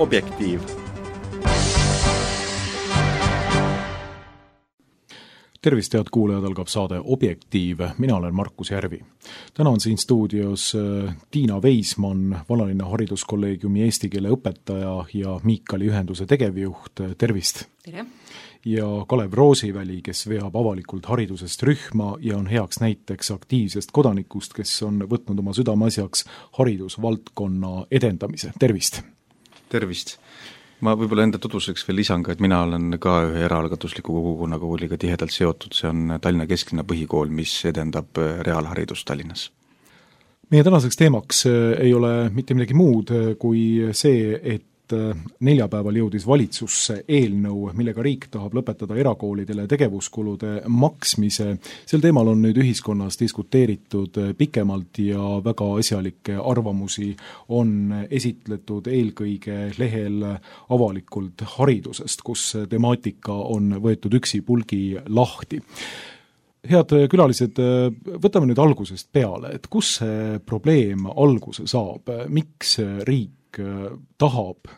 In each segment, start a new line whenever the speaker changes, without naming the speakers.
Objektiiv.
Tervist, head kuulajad, algab saade Objektiiv. Mina olen Markus Järvi. Täna on siin stuudios Tiina Veismann, Vanalinna Hariduskolleegiumi eesti keele õpetaja ja Miikali ühenduse tegevjuht. Tervist!
Tere!
Ja Kalev Roosiväli, kes veab avalikult haridusest rühma ja on heaks näiteks aktiivsest kodanikust, kes on võtnud oma südameasjaks haridusvaldkonna edendamise. Tervist!
Tervist! Ma võib-olla enda tutvuseks veel lisan ka, et mina olen ka ühe eraalgatusliku kogukonnakooliga tihedalt seotud, see on Tallinna kesklinna põhikool, mis edendab reaalharidust Tallinnas.
Meie tänaseks teemaks ei ole mitte midagi muud kui see, et neljapäeval jõudis valitsusse eelnõu, millega riik tahab lõpetada erakoolidele tegevuskulude maksmise. Sel teemal on nüüd ühiskonnas diskuteeritud pikemalt ja väga asjalikke arvamusi on esitletud eelkõige lehel avalikult haridusest, kus temaatika on võetud üksipulgi lahti. Head külalised, võtame nüüd algusest peale, et kus see probleem alguse saab, miks riik tahab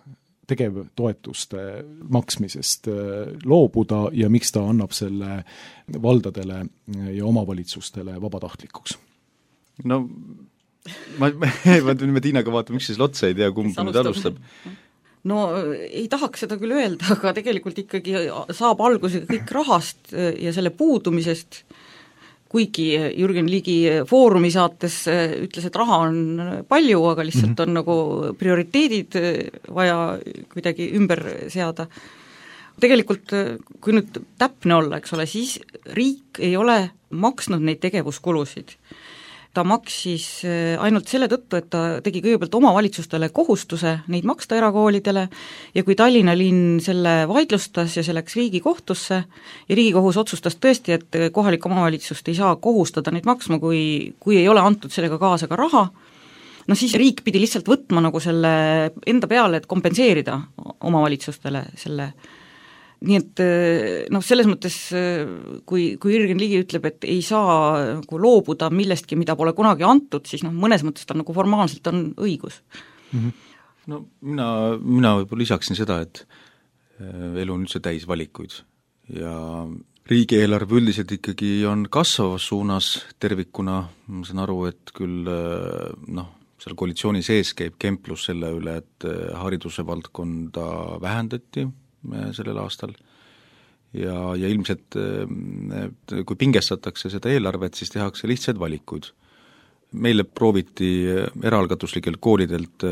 tegevtoetuste maksmisest loobuda ja miks ta annab selle valdadele ja omavalitsustele vabatahtlikuks?
No, me Tiinaga vaatame, miks siis otsa ei tea, kumb nüüd alustab.
No ei tahaks seda küll öelda, aga tegelikult ikkagi saab alguse kõik rahast ja selle puudumisest, kuigi Jürgen Ligi Foorumi saates ütles, et raha on palju, aga lihtsalt on nagu prioriteedid vaja kuidagi ümber seada. Tegelikult, kui nüüd täpne olla, eks ole, siis riik ei ole maksnud neid tegevuskulusid. Ta maksis ainult selle tõttu, et ta tegi kõigepealt omavalitsustele kohustuse neid maksta erakoolidele ja kui Tallinna linn selle vaidlustas ja see läks Riigikohtusse ja Riigikohus otsustas tõesti, et kohalik omavalitsust ei saa kohustada neid maksma, kui ei ole antud sellega kaasa ka raha, no siis riik pidi lihtsalt võtma nagu selle enda peale, et kompenseerida omavalitsustele selle. Nii et selles mõttes, kui Jürgen Ligi ütleb, et ei saa nagu loobuda millestki, mida pole kunagi antud, siis mõnes mõttes ta nagu formaalselt on õigus.
No mina võib-olla lisaksin seda, et elu on üldse täis valikuid ja riigieelarve üldiselt ikkagi on kasvavas suunas tervikuna, ma saan aru, et küll seal koalitsiooni sees käib kemplus selle üle, et hariduse valdkonda vähendati sellel aastal ja ilmselt kui pingestatakse seda eelarvet, siis tehakse lihtsaid valikuid. Meile prooviti eraalgatuslikelt koolidelt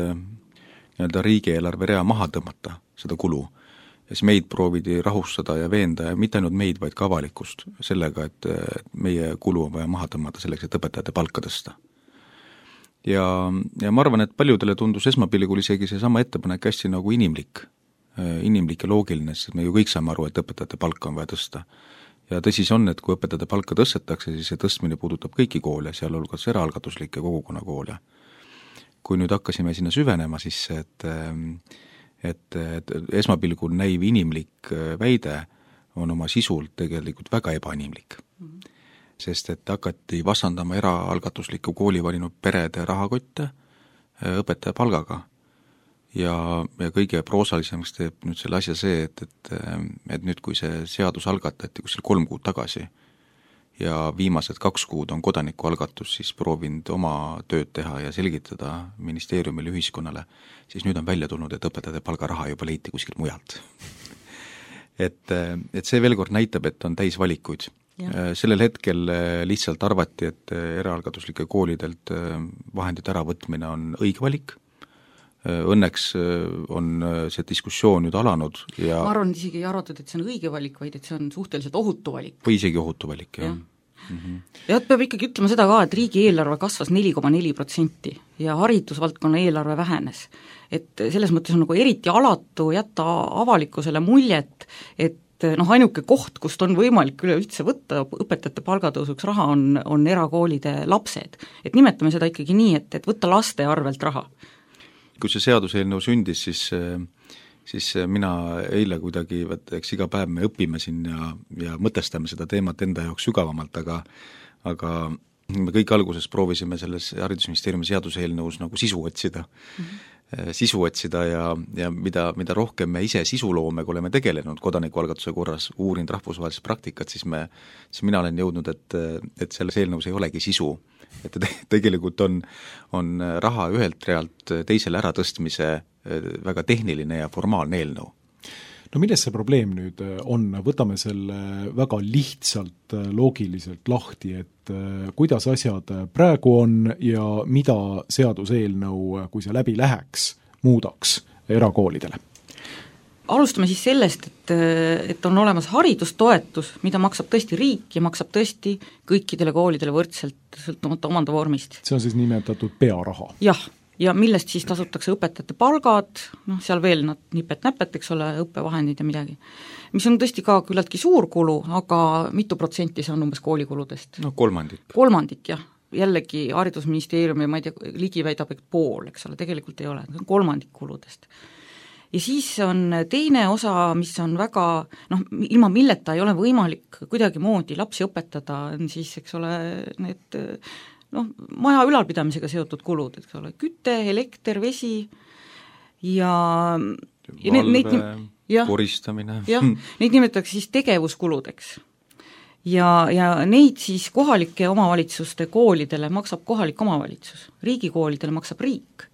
riigieelarve rea maha tõmmata seda kulu ja siis meid proovidi rahustada ja veenda ja mitte ainult meid, vaid ka avalikkust sellega, et meie kulu on vaja maha tõmmata selleks, et õpetajate palka tõsta. Ja ma arvan, et paljudele tundus esmapilgul isegi see sama ettepanek hästi nagu inimlik ja loogiline, sest me ju kõik saame aru, et õpetajate palka on vaja tõsta. Ja tõsi see on, et kui õpetajate palka tõstetakse, siis see tõstmine puudutab kõiki koole, sealhulgas eraalgatuslikke kogukonnakoole. Kui nüüd hakkasime sinna süvenema, siis et esmapilgul näiv inimlik väide on oma sisult tegelikult väga ebainimlik. Sest et hakati vastandama eraalgatusliku kooli valinud perede rahakotte õpetaja palgaga. Ja kõige proosalisemaks teeb nüüd selle asja see, et nüüd kui see seadus algatati kuskil 3 kuud tagasi ja viimased 2 kuud on kodanikualgatus, siis proovinud oma tööd teha ja selgitada ministeeriumile ühiskonnale, siis nüüd on välja tulnud, et õpetajate palgaraha juba leiti kuskilt mujalt. et see veel kord näitab, et on täis valikuid. Ja. Sellel hetkel lihtsalt arvati, et eraalgatuslike koolidelt vahendite äravõtmine on õige valik. Õnneks on see diskussioon nüüd alanud ja
ma arvan, isegi ei arvatud, et see on õige valik, vaid et see on suhteliselt ohutu valik.
Või isegi ohutu valik, jah.
Ja peab ikkagi ütlema seda ka, et riigieelarve kasvas 4,4% ja haridusvaldkonna eelarve vähenes. Et selles mõttes on nagu eriti alatu jätta avalikkusele muljet, et ainuke koht, kust on võimalik üleüldse võtta õpetajate palgatõusuks raha, on erakoolide lapsed. Et nimetame seda ikkagi nii, et võtta laste arvelt raha.
Kui see seaduseelnõu sündis, siis mina eile kuidagi, eks iga päev me õpime siin ja mõtestame seda teemat enda jaoks sügavamalt, aga me kõik alguses proovisime selles haridusministeeriumi seaduseelnõus nagu sisu otsida. sisu otsida ja mida rohkem me ise sisuloomega oleme tegelenud kodanikualgatuse korras, uurinud rahvusvahelist praktikat, siis mina olen jõudnud, et selles eelnõus ei olegi sisu. Et tegelikult on raha ühelt realt teisele äratõstmise väga tehniline ja formaalne eelnõu.
No milles see probleem nüüd on? Võtame selle väga lihtsalt, loogiliselt lahti, et kuidas asjad praegu on ja mida seaduseelnõu, kui see läbi läheks, muudaks erakoolidele?
Alustame siis sellest, et on olemas haridustoetus, mida maksab tõesti riik ja maksab tõesti kõikidele koolidele võrdselt sõltumata omandavormist.
See on siis nimetatud pearaha?
Jah, ja millest siis tasutakse õpetajate palgad, seal veel nad nipet-näpet, eks ole, õppevahendid ja midagi. Mis on tõesti ka küllaltki suur kulu, aga mitu protsenti see on umbes koolikuludest?
No kolmandik.
Kolmandik, jah. Jällegi haridusministeerium ja ma ei tea, ligi väidab, et pool, eks ole, tegelikult ei ole, see on kolmandik kuludest. Ja siis on teine osa, mis on väga, ilma milleta ei ole võimalik kuidagi moodi lapsi õpetada, on siis, eks ole, need maja ülalpidamisega seotud kulud, eks ole, küte, elekter, vesi ja
valve, koristamine.
Jah, neid nimetatakse siis tegevuskuludeks. Ja neid siis kohalike omavalitsuste koolidele maksab kohalik omavalitsus, riigikoolidele maksab riik.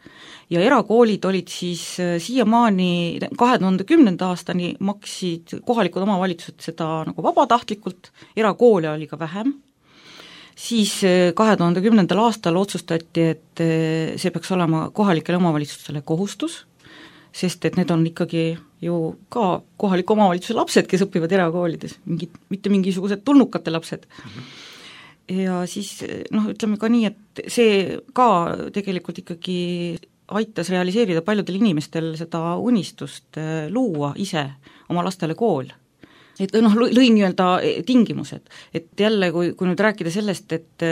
Ja erakoolid olid siis siiamaani 2010. aastani maksid kohalikud omavalitsused seda nagu vabatahtlikult, erakoole oli ka vähem, siis 2010. aastal otsustati, et see peaks olema kohalikele omavalitsustele kohustus, sest et need on ikkagi ju ka kohaliku omavalitsuse lapsed, kes õpivad erakoolides, mitte mingisugused tulnukate lapsed. Ja siis ütleme ka nii, et see ka tegelikult ikkagi aitas realiseerida paljudel inimestel seda unistust luua ise oma lastele kool. Et lõi nii-öelda tingimused, et jälle, kui nüüd rääkida sellest, et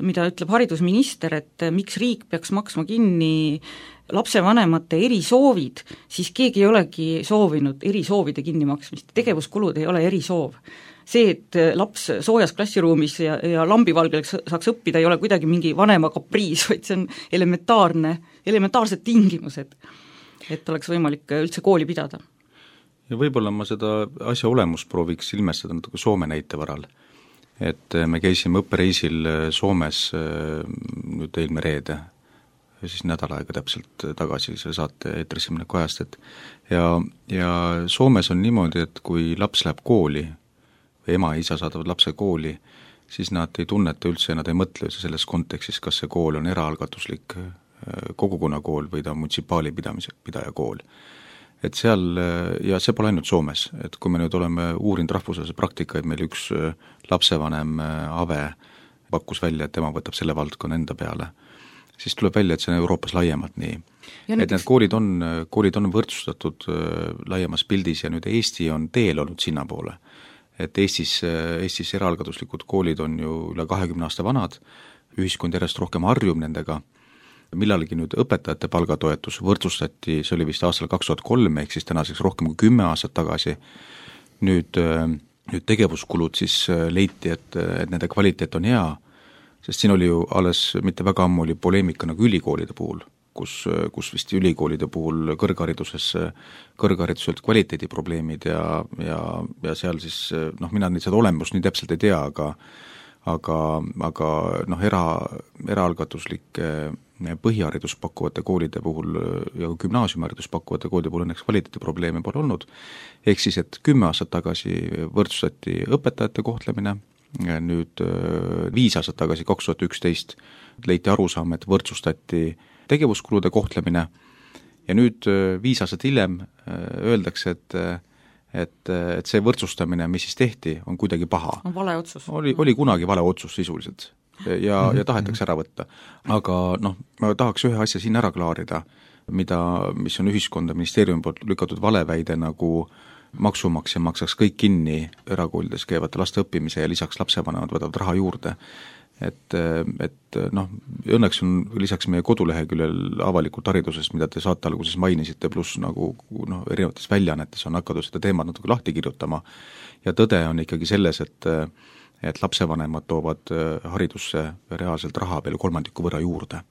mida ütleb haridusminister, et miks riik peaks maksma kinni lapsevanemate erisoovid, siis keegi ei olegi soovinud erisoovide kinnimaksmist, tegevuskulud ei ole erisoov. See, et laps soojas klassiruumis ja lambivalgel saaks õppida, ei ole kuidagi mingi vanema kapriis, vaid see on elementaarsed tingimused, et oleks võimalik üldse kooli pidada.
Ja võib-olla ma seda asja olemust prooviks ilmestada natuke Soome näite varal. Et me käisime õppereisil Soomes nüüd eelmine reede, siis nädal aega täpselt tagasi selle saate eetrisse mineku ajast, ja Soomes on niimoodi, et kui laps läheb kooli või ema ja isa saadavad lapse kooli, siis nad ei tunneta üldse ja nad ei mõtle üldse selles kontekstis, kas see kool on eraalgatuslik kogukonnakool või ta on munitsipaali pidaja kool. Et seal, ja see pole ainult Soomes, et kui me nüüd oleme uurinud rahvusvahelise praktikaid, meil üks lapsevanem Ave pakkus välja, et tema võtab selle valdkonna enda peale, siis tuleb välja, et see on Euroopas laiemalt nii. Et need koolid on võrdsustatud laiemas pildis ja nüüd Eesti on teel olnud sinnapoole. Et Eestis eraalgatuslikud koolid on ju üle 20 aasta vanad, ühiskond järjest rohkem harjub nendega, millalgi nüüd õpetajate palgatoetus võrdsustati, see oli vist aastal 2003, ehk siis tänaseks rohkem kui 10 aastat tagasi. Nüüd tegevuskulud siis leiti, et nende kvaliteet on hea, sest siin oli ju alles mitte väga ammu oli poleemika nagu ülikoolide puhul, kus vist ülikoolide puhul kõrghariduselt kvaliteediprobleemid ja seal siis, mina neid seda olemust nii täpselt ei tea, aga eraalgatuslike põhiharidus pakkuvate koolide puhul ja gümnaasiumiharidus pakkuvate koolide puhul õnneks kvaliteediprobleeme pole olnud, ehk siis, et 10 aastat tagasi võrdsustati õpetajate kohtlemine, nüüd 5 aastat tagasi, 2011, leiti arusaam, et võrdsustati tegevuskulude kohtlemine ja nüüd 5 aastat hiljem öeldakse, et see võrdsustamine, mis siis tehti, on kuidagi paha.
On vale otsus.
Oli kunagi vale otsus sisuliselt ja tahetakse ära võtta. Aga ma tahaks ühe asja siin ära klaarida, mis on ühiskonda ministeeriumi poolt lükatud valeväide, nagu maksumaksja maksaks kõik kinni erakoolides käivate laste õppimise ja lisaks lapsevanemad võtavad raha juurde. Et õnneks on lisaks meie koduleheküljel avalikult haridusest, mida te saate alguses mainisite, pluss nagu erinevates väljaannetes on hakatud seda teemat natuke lahti kirjutama ja tõde on ikkagi selles, et lapsevanemad toovad haridusse reaalselt raha peale 3% võrra juurde.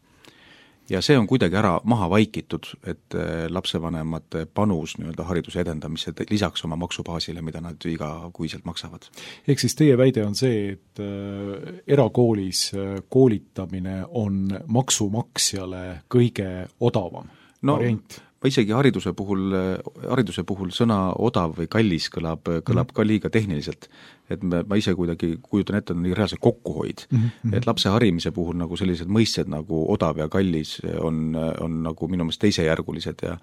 ja see on kuidagi ära maha vaikitud, et lapsevanemate panus nii-öelda hariduse edendamisse lisaks oma maksubaasile, mida nad igakuiselt maksavad.
Ehk siis teie väide on see, et erakoolis koolitamine on maksumaksjale kõige odavam variant?
Ma isegi hariduse puhul sõna odav või kallis kõlab ka liiga tehniliselt, et ma ise kuidagi kujutan ette, on reaalselt kokkuhoid. Et lapse harimise puhul nagu sellised mõisted nagu odav ja kallis on nagu minu meelest teisejärgulised ja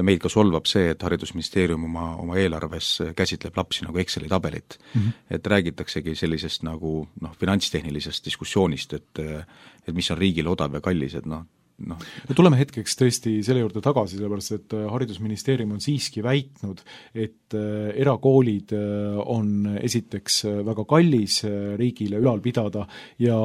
meid ka solvab see, et Haridusministeerium oma eelarves käsitleb lapsi nagu Exceli tabelit. Et räägitaksegi sellisest nagu finantstehnilisest diskussioonist, et mis on riigile odav ja kallis, et
tuleme hetkeks tõesti selle juurde tagasi, sellepärast et Haridusministeerium on siiski väitnud, et erakoolid on esiteks väga kallis riigile ülal pidada ja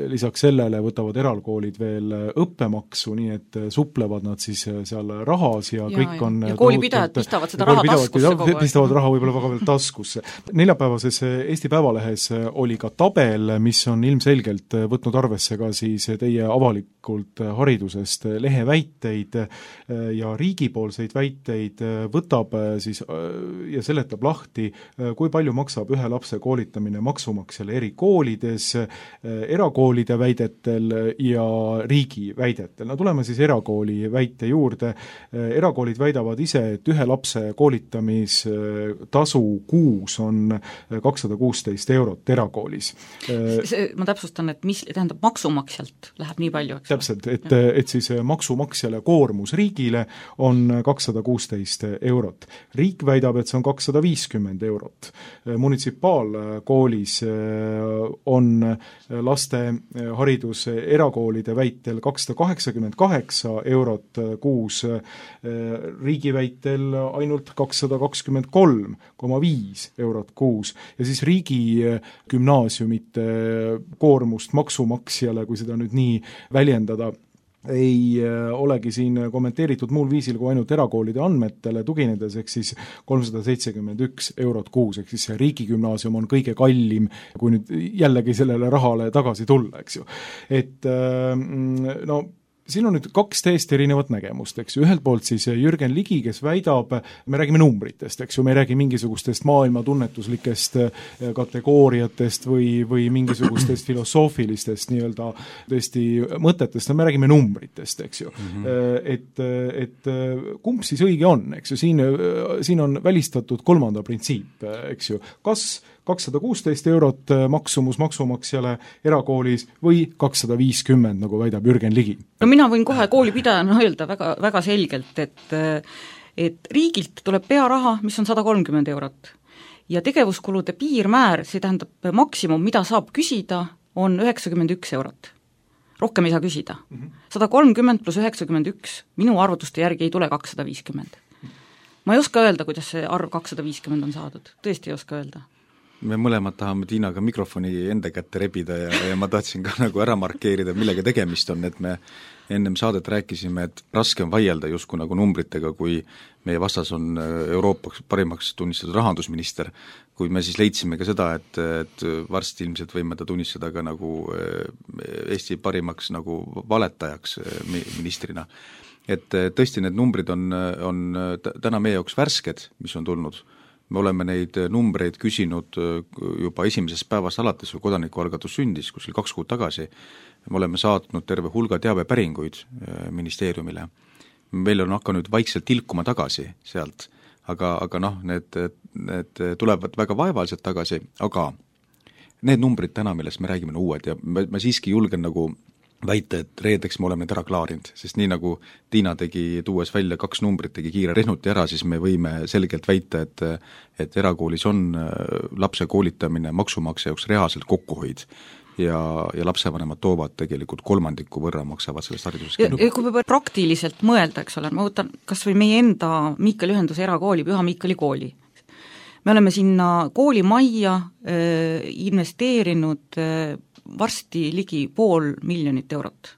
lisaks sellele võtavad erakoolid veel õppemaksu, nii et suplevad nad siis seal rahas ja kõik on
ja koolipidajad pistavad seda raha taskusse kogu aeg.
Pistavad raha võib-olla väga veel taskusse. Neljapäevases Eesti Päevalehes oli ka tabel, mis on ilmselgelt võtnud arvesse ka siis teie avalikult haridusest lehe väiteid ja riigipoolseid väiteid, võtab siis ja seletab lahti, kui palju maksab ühe lapse koolitamine maksumaksjale eri koolides, erakoolide väidetel ja riigi väidetel. Tuleme siis erakooli väite juurde. Erakoolid väidavad ise, et ühe lapse koolitamistasu kuus on 216 eurot erakoolis.
Ma täpsustan, et mis tähendab maksumaksjalt läheb nii palju, eks?
Täpselt, et siis maksumaksjale koormus riigile on 216 eurot. Riik väidab, et see on 250 eurot. Munitsipaalkoolis on laste haridus erakoolide väitel 288 eurot kuus, riigi väitel ainult 223,5 eurot kuus ja siis riigi gümnaasiumite koormust maksumaksjale, kui seda nüüd nii väljendada, ei olegi siin kommenteeritud muul viisil kui ainult erakoolide andmetele tuginedes, ehk siis 371 eurot kuus, ehk siis see riigigümnaasium on kõige kallim, kui nüüd jällegi sellele rahale tagasi tulla, eks ju. Et siin on nüüd kaks täiesti erinevat nägemust, eks ju. Ühelt poolt siis Jürgen Ligi, kes väidab, me räägime numbritest, eks ju, me ei räägi mingisugustest maailma tunnetuslikest kategooriatest või mingisugustest filosoofilistest nii-öelda tõesti mõtetest, me räägime numbritest, eks ju. Et kumb siis õige on, eks ju, siin on välistatud kolmanda printsiip, eks ju, kas 216 eurot maksumus maksumaksjale erakoolis või 250, nagu väidab Jürgen Ligi?
No mina võin kohe koolipidajana öelda väga, väga selgelt, et riigilt tuleb pearaha, mis on 130 eurot. Ja tegevuskulude piirmäär, see tähendab maksimum, mida saab küsida, on 91 eurot. Rohkem ei saa küsida. 130 pluss 91, minu arvutuste järgi ei tule 250. Ma ei oska öelda, kuidas see arv 250 on saadud. Tõesti ei oska öelda.
Me mõlemad tahame Tiinaga mikrofoni enda kätte rebida ja ma tahtsin ka nagu ära markeerida, millega tegemist on, et me ennem saadet rääkisime, et raske on vaielda justkui nagu numbritega, kui meie vastas on Euroopas parimaks tunnistatud rahandusminister, kui me siis leidsime ka seda, et varsti ilmselt võime ta tunnistada ka nagu Eesti parimaks nagu valetajaks ministrina. Et tõesti need numbrid on täna meie jaoks värsked, mis on tulnud. Me oleme neid numbreid küsinud juba esimesest päevast alates, kui kodanikualgatus sündis, kuskil 2 kuud tagasi. Me oleme saatnud terve hulga teabepäringuid ministeeriumile. Meil on hakanud vaikselt tilkuma tagasi sealt, aga need tulevad väga vaevaliselt tagasi, aga need numbrid täna, millest me räägime, on uued ja ma siiski julgen nagu väita, et reedeks me oleme need ära klaarinud, sest nii nagu Tiina tegi, tuues välja 2 numbrit, tegi kiire rehnuti ära, siis me võime selgelt väita, et erakoolis on lapse koolitamine maksumaksja jaoks reaalselt kokkuhoid ja lapsevanemad toovad tegelikult 3% võrra maksavad sellest haridusest.
Ja kui me praktiliselt mõelda, eks ole, ma võtan kas või meie enda Miikali ühenduse erakooli, Püha Miikali kooli. Me oleme sinna koolimajja investeerinud varsti ligi 500 000 eurot,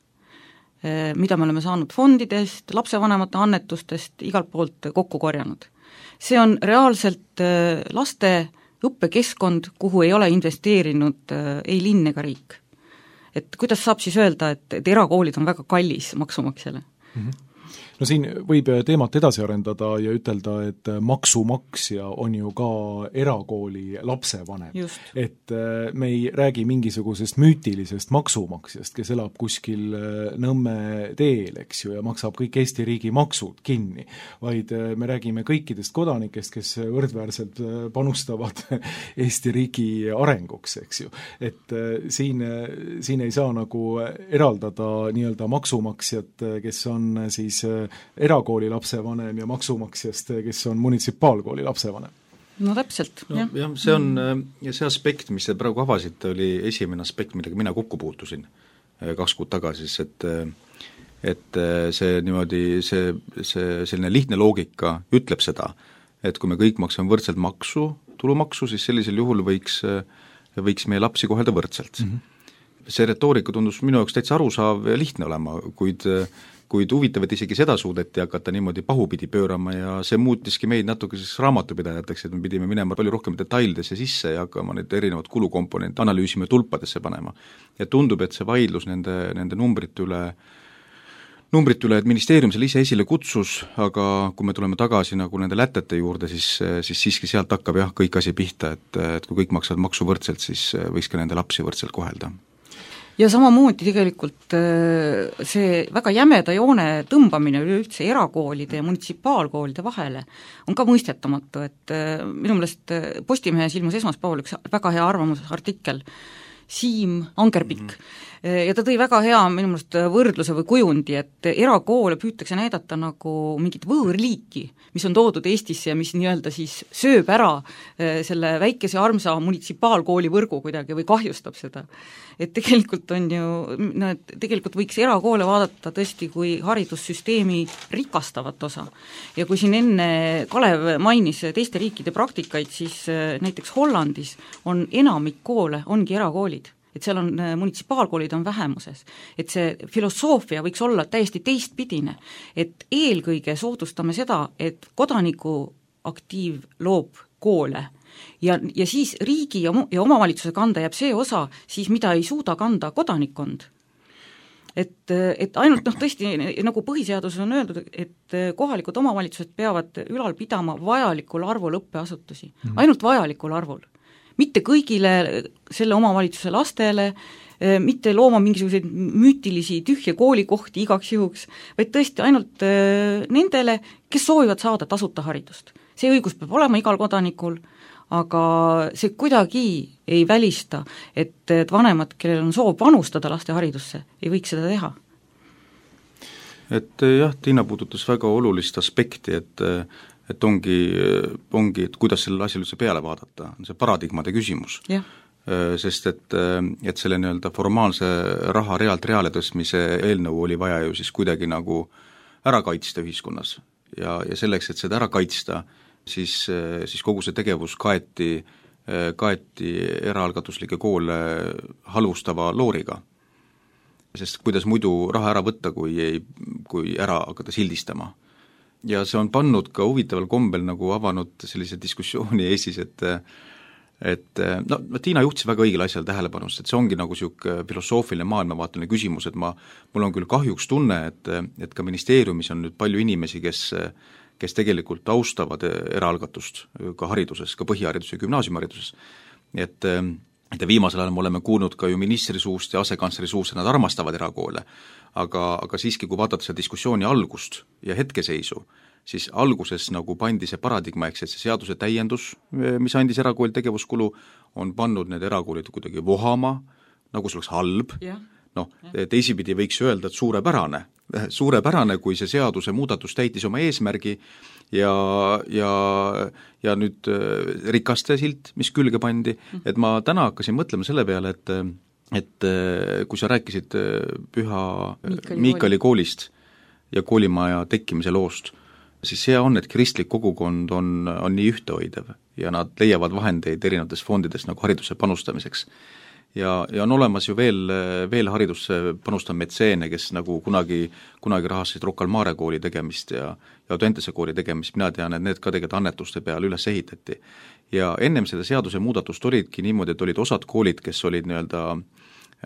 mida me oleme saanud fondidest, lapsevanemate annetustest, igalt poolt kokku korjanud. See on reaalselt laste õppekeskkond, kuhu ei ole investeerinud ei linn ega riik. et kuidas saab siis öelda, et erakoolid on väga kallis maksumaksjale?
No siin võib teemat edasi arendada ja ütelda, et maksumaksja on ju ka erakooli lapsevanem. Et me ei räägi mingisugusest müütilisest maksumaksjast, kes elab kuskil Nõmme teel, eks ju, ja maksab kõik Eesti riigi maksud kinni, vaid me räägime kõikidest kodanikest, kes võrdväärselt panustavad Eesti riigi arenguks, eks ju. Et siin ei saa nagu eraldada nii-öelda maksumaksjat, kes on siis erakooli lapsevanem ja maksumaksjast, kes on munitsipaalkooli lapsevanem.
No täpselt,
jah. Jah, see on, ja see aspekt, mis te praegu avasite, oli esimene aspekt, millega mina kokku puutusin 2 kuud tagasi, et see niimoodi, see selline lihtne loogika ütleb seda, et kui me kõik maksame võrdselt maksu, tulumaksu, siis sellisel juhul võiks meie lapsi kohelda võrdselt. See retoorika tundus minu jaoks täitsa arusaав ja lihtne olema, kuid huvitav, et isegi seda suudeti hakata niimoodi pahupidi pöörama ja see muutiski meid natuke raamatupidajateks, et me pidime minema palju rohkem detailidesse sisse ja hakkama need erinevad kulukomponente analüüsima ja tulpadesse panema. Ja tundub, et see vaidlus nende numbrite üle, et ministeerium selle ise esile kutsus, aga kui me tuleme tagasi nagu nende lätete juurde, siis siiski sealt hakkab jah kõik asi pihta, et kui kõik maksavad maksu võrdselt, siis võiks ka nende lapsi võrdselt kohelda.
Ja samamoodi tegelikult see väga jämeda joone tõmbamine üleüldse erakoolide ja munitsipaalkoolide vahele on ka mõistetamatu, et minu meelest Postimehes ilmus esmaspäeval üks väga hea arvamusartikkel, Siim Angerpikk, ja ta tõi väga hea minu meelest võrdluse või kujundi, et erakoole püütakse näidata nagu mingit võõrliiki, mis on toodud Eestisse ja mis nii-öelda siis sööb ära selle väikese armsa munitsipaalkooli võrgu kuidagi või kahjustab seda. Et tegelikult on ju, tegelikult võiks erakoole vaadata tõesti kui haridussüsteemi rikastavat osa. Ja kui siin enne Kalev mainis teiste riikide praktikaid, siis näiteks Hollandis on enamik koole, ongi erakoolid. Et seal on, munitsipaalkoolid on vähemuses. Et see filosoofia võiks olla täiesti teistpidine, et eelkõige soodustame seda, et kodaniku aktiiv loob koole ja siis riigi ja omavalitsuse kanda jääb see osa, siis mida ei suuda kanda kodanikkond. Et ainult tõesti, nagu põhiseaduses on öeldud, et kohalikud omavalitsused peavad ülal pidama vajalikul arvul õppeasutusi, ainult vajalikul arvul. Mitte kõigile selle omavalitsuse lastele, mitte looma mingisuguseid müütilisi tühje koolikohti igaks juhuks, vaid tõesti ainult nendele, kes soovivad saada tasuta haridust. See õigus peab olema igal kodanikul, aga see kuidagi ei välista, et vanemad, kellel on soov panustada laste haridusse, ei võiks seda teha.
Et jah, Tiina puudutas väga olulist aspekti, et ongi, et kuidas selle asjal üldse peale vaadata, on see paradigmade küsimus.
Yeah.
Sest et selle nii-öelda formaalse raha reale tõstmise eelnõu oli vaja ju siis kuidagi nagu ära kaitsta ühiskonnas ja selleks, et seda ära kaitsta, siis kogu see tegevus kaeti eraalgatuslike koole halvustava looriga. Sest kuidas muidu raha ära võtta, kui ära hakata sildistama. Ja see on pannud ka huvitaval kombel nagu avanud sellise diskussiooni Eestis, et Tiina juhtis väga õigel asjal tähelepanust, et see ongi nagu siuke filosoofiline maailmavaateline küsimus, et mul on küll kahjuks tunne, et ka ministeeriumis on nüüd palju inimesi, kes tegelikult austavad eraalgatust ka hariduses, ka põhihariduses ja gümnaasiumhariduses. Et viimasel ajal me oleme kuulnud ka ju ministri suust ja asekantsleri suust, et nad armastavad erakoole, aga siiski, kui vaadata seda diskussiooni algust ja hetkeseisu, siis alguses nagu pandi see paradigma, eks, et see seaduse täiendus, mis andis erakooli tegevuskulu, on pannud need erakoolid kuidagi vohama, nagu see oleks halb. Teisipidi võiks öelda, et suurepärane, kui see seaduse muudatus täitis oma eesmärgi ja nüüd rikaste silt, mis külge pandi, et ma täna hakkasin mõtlema selle peale, et kui sa rääkisid Püha Miikali koolist ja koolimaja tekkimise loost, siis see on, et kristlik kogukond on nii ühtehoidev ja nad leiavad vahendeid erinevates fondides nagu hariduse panustamiseks. Ja on olemas ju veel haridusse panustav metseene, kes nagu kunagi rahastasid Rocca al Mare kooli tegemist ja Audentese kooli tegemist, mina tean, et need ka tegelikult annetuste peale üles ehitati. Ja ennem seda seaduse muudatust olidki niimoodi, et olid osad koolid, kes olid nii-öelda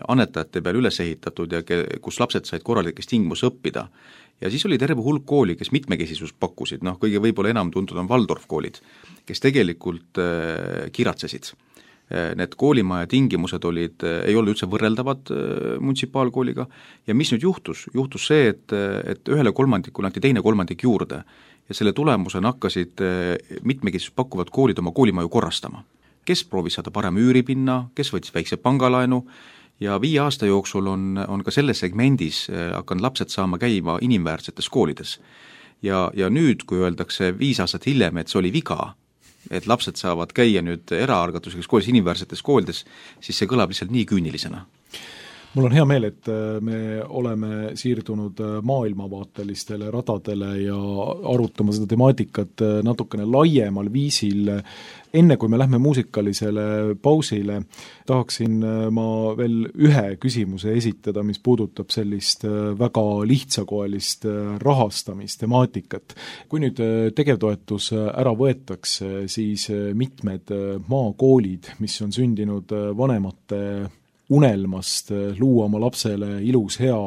annetajate peal üles ehitatud ja kus lapsed said korralikes tingimus õppida. Ja siis oli terve hulk kooli, kes mitmekesisust pakkusid, kõige võib-olla enam tuntud on Waldorf koolid, kes tegelikult kiratsesid. Need koolimaja tingimused ei olnud üldse võrreldavad munitsipaalkooliga ja mis nüüd juhtus? Juhtus see, et 1/3 anti 2/3 juurde ja selle tulemusena hakkasid mitmekesisust pakkuvad koolid oma koolimaju korrastama. Kes proovis saada parem üüripinna, kes võttis väikse pangalaenu ja 5 aasta jooksul on ka selles segmendis hakanud lapsed saama käima inimväärsetes koolides. Ja nüüd, kui öeldakse 5 aastat hiljem, et see oli viga, et lapsed saavad käia nüüd eraalgatuseks koolis inimväärsetes koolides, siis see kõlab lihtsalt nii küünilisena.
Mul on hea meel, et me oleme siirdunud maailmavaatelistele radadele ja arutama seda temaatikat natukene laiemal viisil. Enne kui me lähme muusikalisele pausile, tahaksin ma veel ühe küsimuse esitada, mis puudutab sellist väga lihtsakoelist rahastamistemaatikat. Kui nüüd tegevtoetus ära võetakse, siis mitmed maakoolid, mis on sündinud vanemate unelmast luua oma lapsele ilus, hea,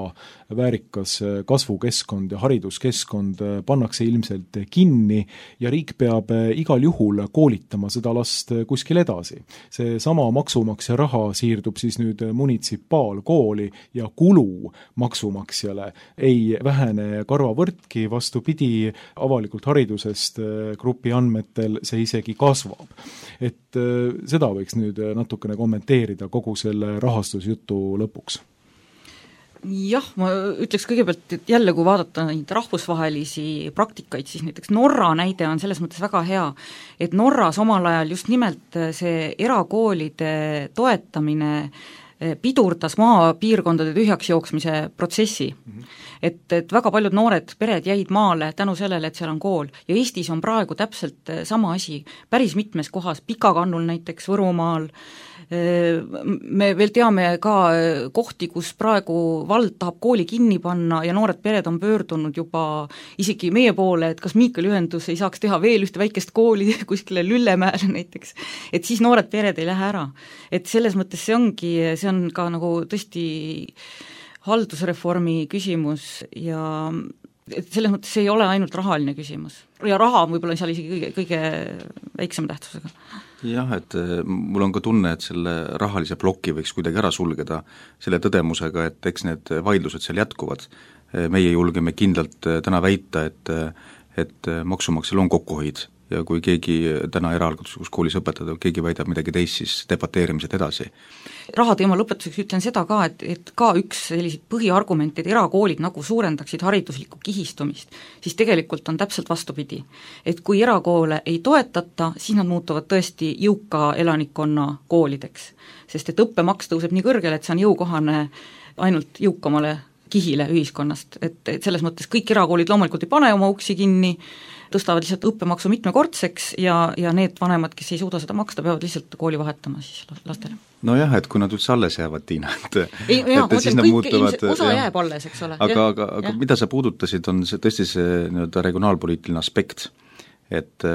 väärikas kasvukeskkond ja hariduskeskkond pannakse ilmselt kinni ja riik peab igal juhul koolitama seda last kuskil edasi. See sama maksumaksja raha siirdub siis nüüd munitsipaalkooli ja kulu maksumaksjale ei vähene karvavõrdki, vastupidi, avalikult haridusest grupi andmetel see isegi kasvab. Et seda võiks nüüd natukene kommenteerida kogu selle rahastusjutu lõpuks.
Jah, ma ütleks kõigepealt, et jälle kui vaadata neid rahvusvahelisi praktikaid, siis näiteks Norra näide on selles mõttes väga hea, et Norras omal ajal just nimelt see erakoolide toetamine pidurdas maapiirkondade tühjaks jooksmise protsessi. Et väga paljud noored pered jäid maale tänu sellele, et seal on kool. Ja Eestis on praegu täpselt sama asi, päris mitmes kohas, Pikakannul näiteks, Võrumaal. Me veel teame ka kohti, kus praegu vald tahab kooli kinni panna ja noored pered on pöördunud juba isegi meie poole, et kas Miikali ühendus ei saaks teha veel ühte väikest kooli kuskile Lüllemäele näiteks, et siis noored pered ei lähe ära. Et selles mõttes see on ka nagu tõesti haldusreformi küsimus ja selles mõttes see ei ole ainult rahaline küsimus. Ja raha on võib-olla seal isegi kõige väiksema tähtsusega.
Jah, et mul on ka tunne, et selle rahalise ploki võiks kuidagi ära sulgeda selle tõdemusega, et eks need vaidlused seal jätkuvad. Meie julgeme kindlalt täna väita, et maksumaksjal on kokkuhoid ja kui keegi täna eraalgatuslikus koolis õpetada, keegi väidab midagi teist, siis debateerimised edasi.
Rahateema lõpetuseks ütlen seda ka, et ka üks selliseid põhiargumente, et erakoolid nagu suurendaksid hariduslikku kihistumist, siis tegelikult on täpselt vastupidi. Et kui erakoole ei toetata, siis nad muutuvad tõesti jõuka elanikkonna koolideks. Sest et õppemaks tõuseb nii kõrgele, et see on jõukohane ainult jõukamale kihile ühiskonnast, et selles mõttes kõik erakoolid loomulikult ei pane oma uksi kinni, tõstavad lihtsalt õppemaksu mitmekordseks ja need vanemad, kes ei suuda seda maksta, peavad lihtsalt kooli vahetama siis lastele.
No jah, et kui nad üldse alles jäävad, Tiina,
osa jääb alles, eks ole.
Aga mida sa puudutasid, on see tõesti see regionaalpoliitiline aspekt, et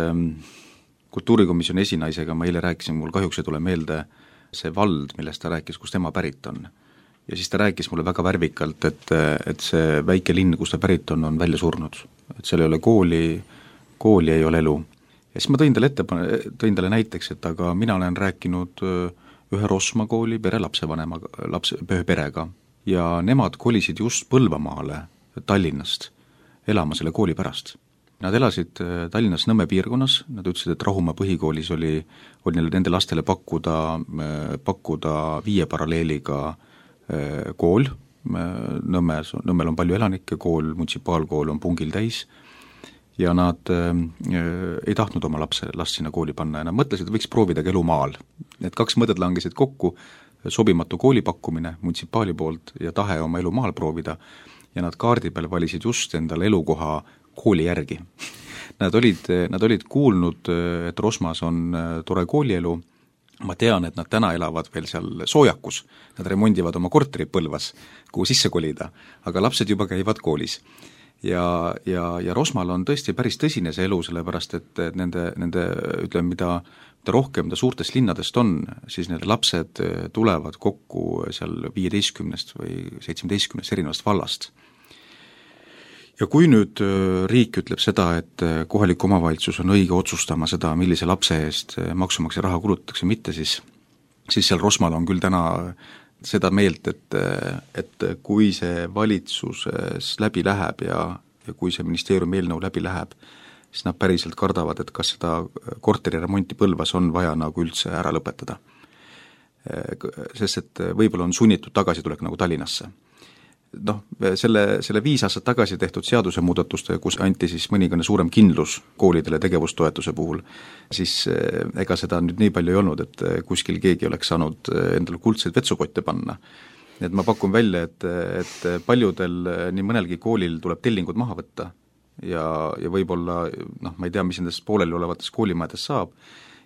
kultuurikomisjoni esinaisega ma eile rääkisin, mul kahjuks ei tule meelde see vald, millest ta rääkis, kus tema pärit on. Ja siis ta rääkis mulle väga värvikalt, et see väike linn, kus ta pärit on välja surnud. Et seal ei ole kooli ei ole elu. Ja siis ma tõin talle näiteks, et aga mina olen rääkinud ühe Rosma kooli perega ja nemad kolisid just Põlvamaale Tallinnast elama selle kooli pärast. Nad elasid Tallinnas Nõmme piirkonnas, nad ütlesid, et Rahumaa põhikoolis oli nende lastele pakkuda 5 paralleeliga kool, Nõmmel on palju elanikke, munitsipaalkool on pungil täis ja nad ei tahtnud oma last sinna kooli panna ja nad mõtlesid, et võiks proovida elu maal. Need 2 mõtted langesid kokku, sobimatu kooli pakkumine muntsipaali poolt ja tahe oma elu maal proovida ja nad kaardi peal valisid just endale elukoha kooli järgi. Nad olid kuulnud, et Rosmas on tore koolielu. Ma tean, et nad täna elavad veel seal Soojakus, nad remondivad oma korteri Põlvas, kuhu sisse kolida, aga lapsed juba käivad koolis. Ja Rosmal on tõesti päris tõsine see elu, sellepärast et nende ütleme, mida rohkem ta suurtest linnadest on, siis need lapsed tulevad kokku seal 15 või 17 erinevast vallast. Ja kui nüüd riik ütleb seda, et kohalik omavalitsus on õige otsustama seda, millise lapse eest maksumaksja raha kulutatakse, mitte, siis seal Rosmal on küll täna seda meelt, et kui see valitsuses läbi läheb ja kui see ministeeriumi eelnõu läbi läheb, siis nad päriselt kardavad, et kas seda korteriremonti Põlvas on vaja nagu üldse ära lõpetada. Sest et võib-olla on sunnitud tagasitulek nagu Tallinnasse. Selle 5 aastat tagasi tehtud seadusemuudatuste, kus anti siis mõningane suurem kindlus koolidele tegevustoetuse puhul, siis ega seda nüüd nii palju ei olnud, et kuskil keegi oleks saanud endale kuldseid vetsupotte panna. Et ma pakun välja, et paljudel, nii mõnelgi koolil tuleb tellingud maha võtta ja võib-olla, ma ei tea, mis nendest pooleli olevates koolimajades saab,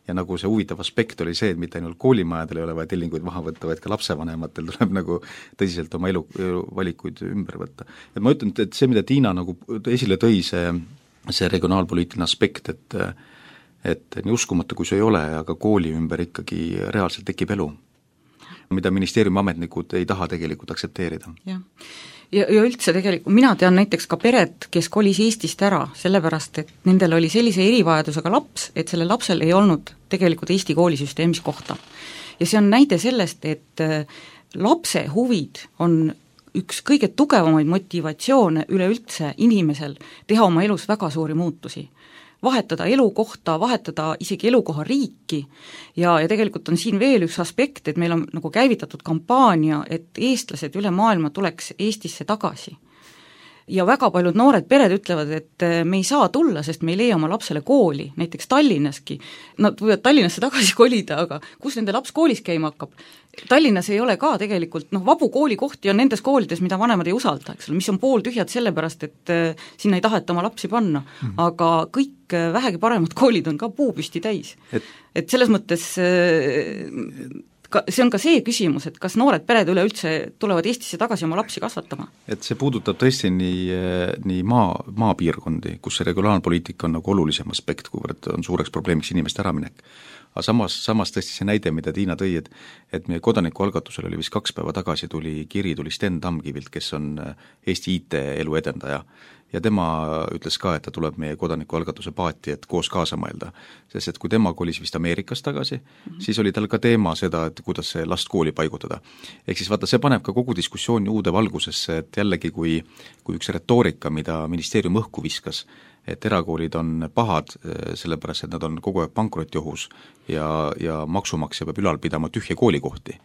ja nagu see huvitav aspekt oli see, et mitte ainult koolimajadel ei ole vaja tellinguid maha võtta, vaid ka lapsevanematel tuleb nagu tõsiselt oma elu valikuid ümber võtta. Et ma ütlen, et see, mida Tiina nagu esile tõi, see regionaalpoliitiline aspekt, et nii uskumatu, kui see ei ole, aga kooli ümber ikkagi reaalselt tekib elu, mida ministeeriumi ametnikud ei taha tegelikult aktsepteerida.
Jah. Ja üldse tegelikult, mina tean näiteks ka pered, kes kolis Eestist ära, sellepärast, et nendel oli sellise erivajadusega laps, et selle lapsel ei olnud tegelikult Eesti koolisüsteemis kohta. Ja see on näide sellest, et lapse huvid on üks kõige tugevamaid motivatsioone üleüldse inimesel teha oma elus väga suuri muutusi. Vahetada elukohta, vahetada isegi elukoha riiki ja tegelikult on siin veel üks aspekt, et meil on nagu käivitatud kampaania, et eestlased üle maailma tuleks Eestisse tagasi. Ja väga paljud noored pered ütlevad, et me ei saa tulla, sest me ei leia oma lapsele kooli, näiteks Tallinnaski. Nad võivad Tallinnasse tagasi kolida, aga kus nende laps koolis käima hakkab? Tallinnas ei ole ka tegelikult, vabu koolikohti on nendes koolides, mida vanemad ei usalda, eks ole, mis on pooltühjad sellepärast, et sinna ei taheta oma lapsi panna. Aga kõik vähegi paremad koolid on ka puupüsti täis. Et selles mõttes see on ka see küsimus, et kas noored pered üleüldse tulevad Eestisse tagasi oma lapsi kasvatama?
Et see puudutab tõesti nii maapiirkondi, kus see regionaalpoliitika on nagu olulisem aspekt, kuivõrd on suureks probleemiks inimeste äraminek. Aga samas tõesti see näide, mida Tiina tõi, et meie kodanikualgatusel oli vist 2 päeva tagasi tuli Sten Tamkivilt, kes on Eesti IT-elu edendaja. Ja tema ütles ka, et ta tuleb meie kodanikualgatuse paati, et koos kaasa mõelda. Sest et kui tema kolis vist Ameerikas tagasi, siis oli tal ka teema seda, et kuidas see last kooli paigutada. Ehk siis vaata, see paneb ka kogu diskussiooni uude valgusesse, et jällegi kui üks retoorika, mida ministeerium õhku viskas, et erakoolid on pahad, sellepärast, et nad on kogu aeg pankrotiohus ja maksumaksja peab ülal pidama tühje koolikohti.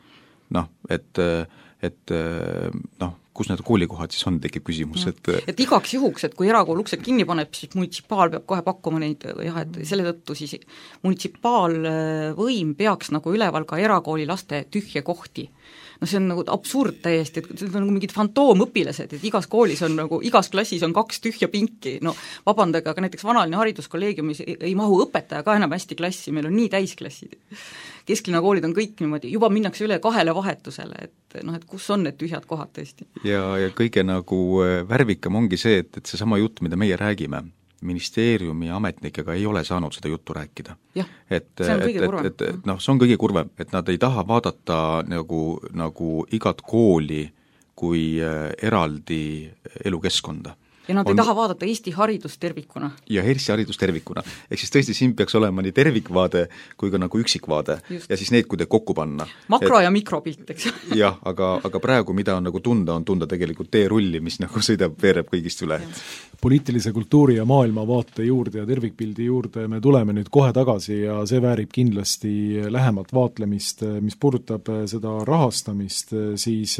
Kus need koolikohad siis on, tekib küsimus,
et igaks juhuks, et kui erakool uksed kinni paneb, siis munitsipaal peab kohe pakkuma neid, et selle tõttu siis munitsipaalvõim peaks nagu üleval ka erakooli laste tühje kohti. See on nagu absurd täiesti, et see on nagu mingid fantoomõpilased, et igas koolis on nagu, igas klassis on 2 tühja pinki, vabandage, aga näiteks Vanalinna hariduskolleegiumis ei mahu õpetaja ka enam hästi klassi, meil on nii täisklassid. Kesklinna koolid on kõik niimoodi, juba minnakse üle 2 vahetusele, et kus on need tühjad kohad tõesti.
Ja kõige nagu värvikam ongi see, et see sama jutt, mida meie räägime, ministeeriumi ametnikega ei ole saanud seda juttu rääkida.
Jah, see on kõige kurvem.
See on kõige kurvem, et nad ei taha vaadata nagu igat kooli kui eraldi elukeskkonda.
Ja nad ei taha vaadata Eesti haridust tervikuna.
Ja Eesti haridust tervikuna. Ehk siis tõesti siin peaks olema nii tervikvaade kui ka nagu üksikvaade. Just. Ja siis need, kui te kokku panna.
Makro- ja mikropilt, eks.
Jah, aga praegu mida on nagu tunda tegelikult teerulli, mis nagu veereb kõigist üle.
Poliitilise kultuuri ja maailmavaate juurde ja tervikpildi juurde me tuleme nüüd kohe tagasi ja see väärib kindlasti lähemat vaatlemist, mis puudutab seda rahastamist, siis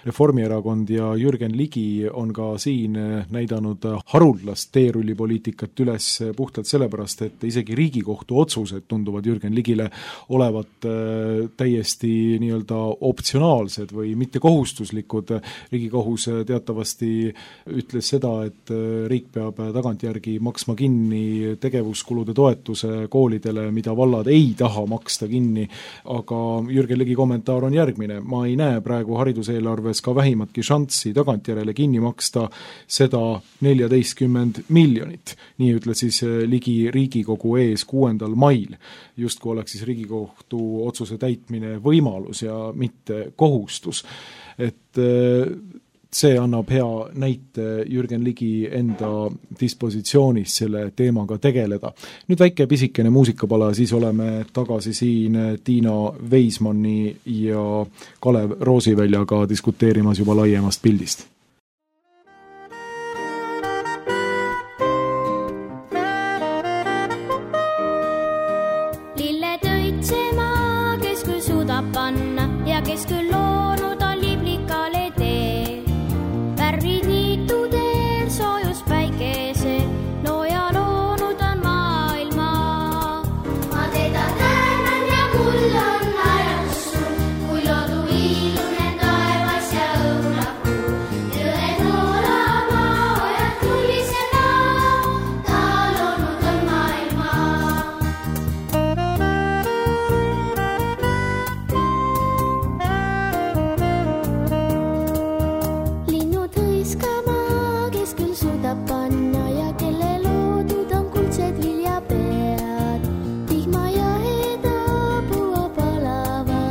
Reformierakond ja Jürgen Ligi on ka siin näidanud haruldast teerullipoliitikat üles puhtalt sellepärast, et isegi Riigikohtu otsused tunduvad Jürgen Ligile olevat täiesti nii-öelda optsionaalsed või mitte kohustuslikud. Riigikohus teatavasti ütles seda, et riik peab tagantjärgi maksma kinni tegevuskulude toetuse koolidele, mida vallad ei taha maksta kinni, aga Jürgen Ligi kommentaar on järgmine. Ma ei näe praegu hariduseelarves ka vähimatki šanssi tagantjärele kinni maksta seda 14 miljonit. Nii ütles siis Ligi Riigikogu ees 6. mail. Justkui oleks siis Riigikohtu otsuse täitmine võimalus ja mitte kohustus. Et see annab hea näite Jürgen Ligi enda dispositsioonist selle teemaga tegeleda. Nüüd väike pisikene muusikapala, siis oleme tagasi siin Tiina Veismanni ja Kalev Roosiväljaga diskuteerimas juba laiemast pildist.
Kes küll loonud on liblikale tee, värvid niitudel soojus päikese, looja loonud on maailma. Ma teda tänan ja mul on naerus sul, kui loodu illunen taevas ja õunapuu. Jõed noolama, ojad tulisena, ta loonud on maailma. Panna ja kelle loodud on kuldsed viljapead, vihma ja heda puua palava,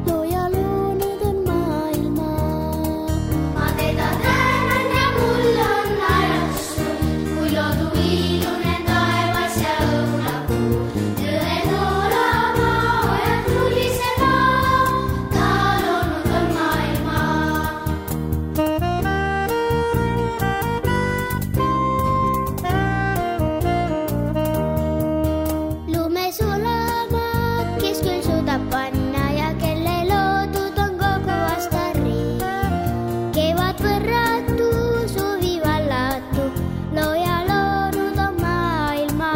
looja loonud on maailma. Ma teda tänan ja mul on naerus sul, kui loodu illunen taevas ja õunapuu. Jõed noolama, ojad tulisena, ta loonud on maailma. Panna ja kelle loodud on kogu aasta riik. Kevad võrratu, suvi vallatu, looja loonud on maailma.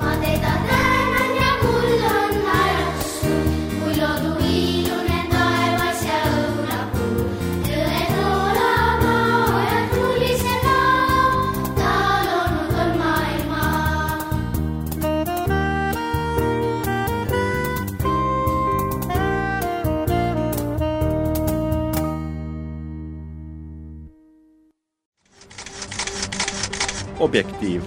Ma teda tänan ja mul on naerus sul, kui loodu illunen taevas ja õunapuu. Jõed noolama, ojad tulisena, ta loonud on maailma.
Objektiiv.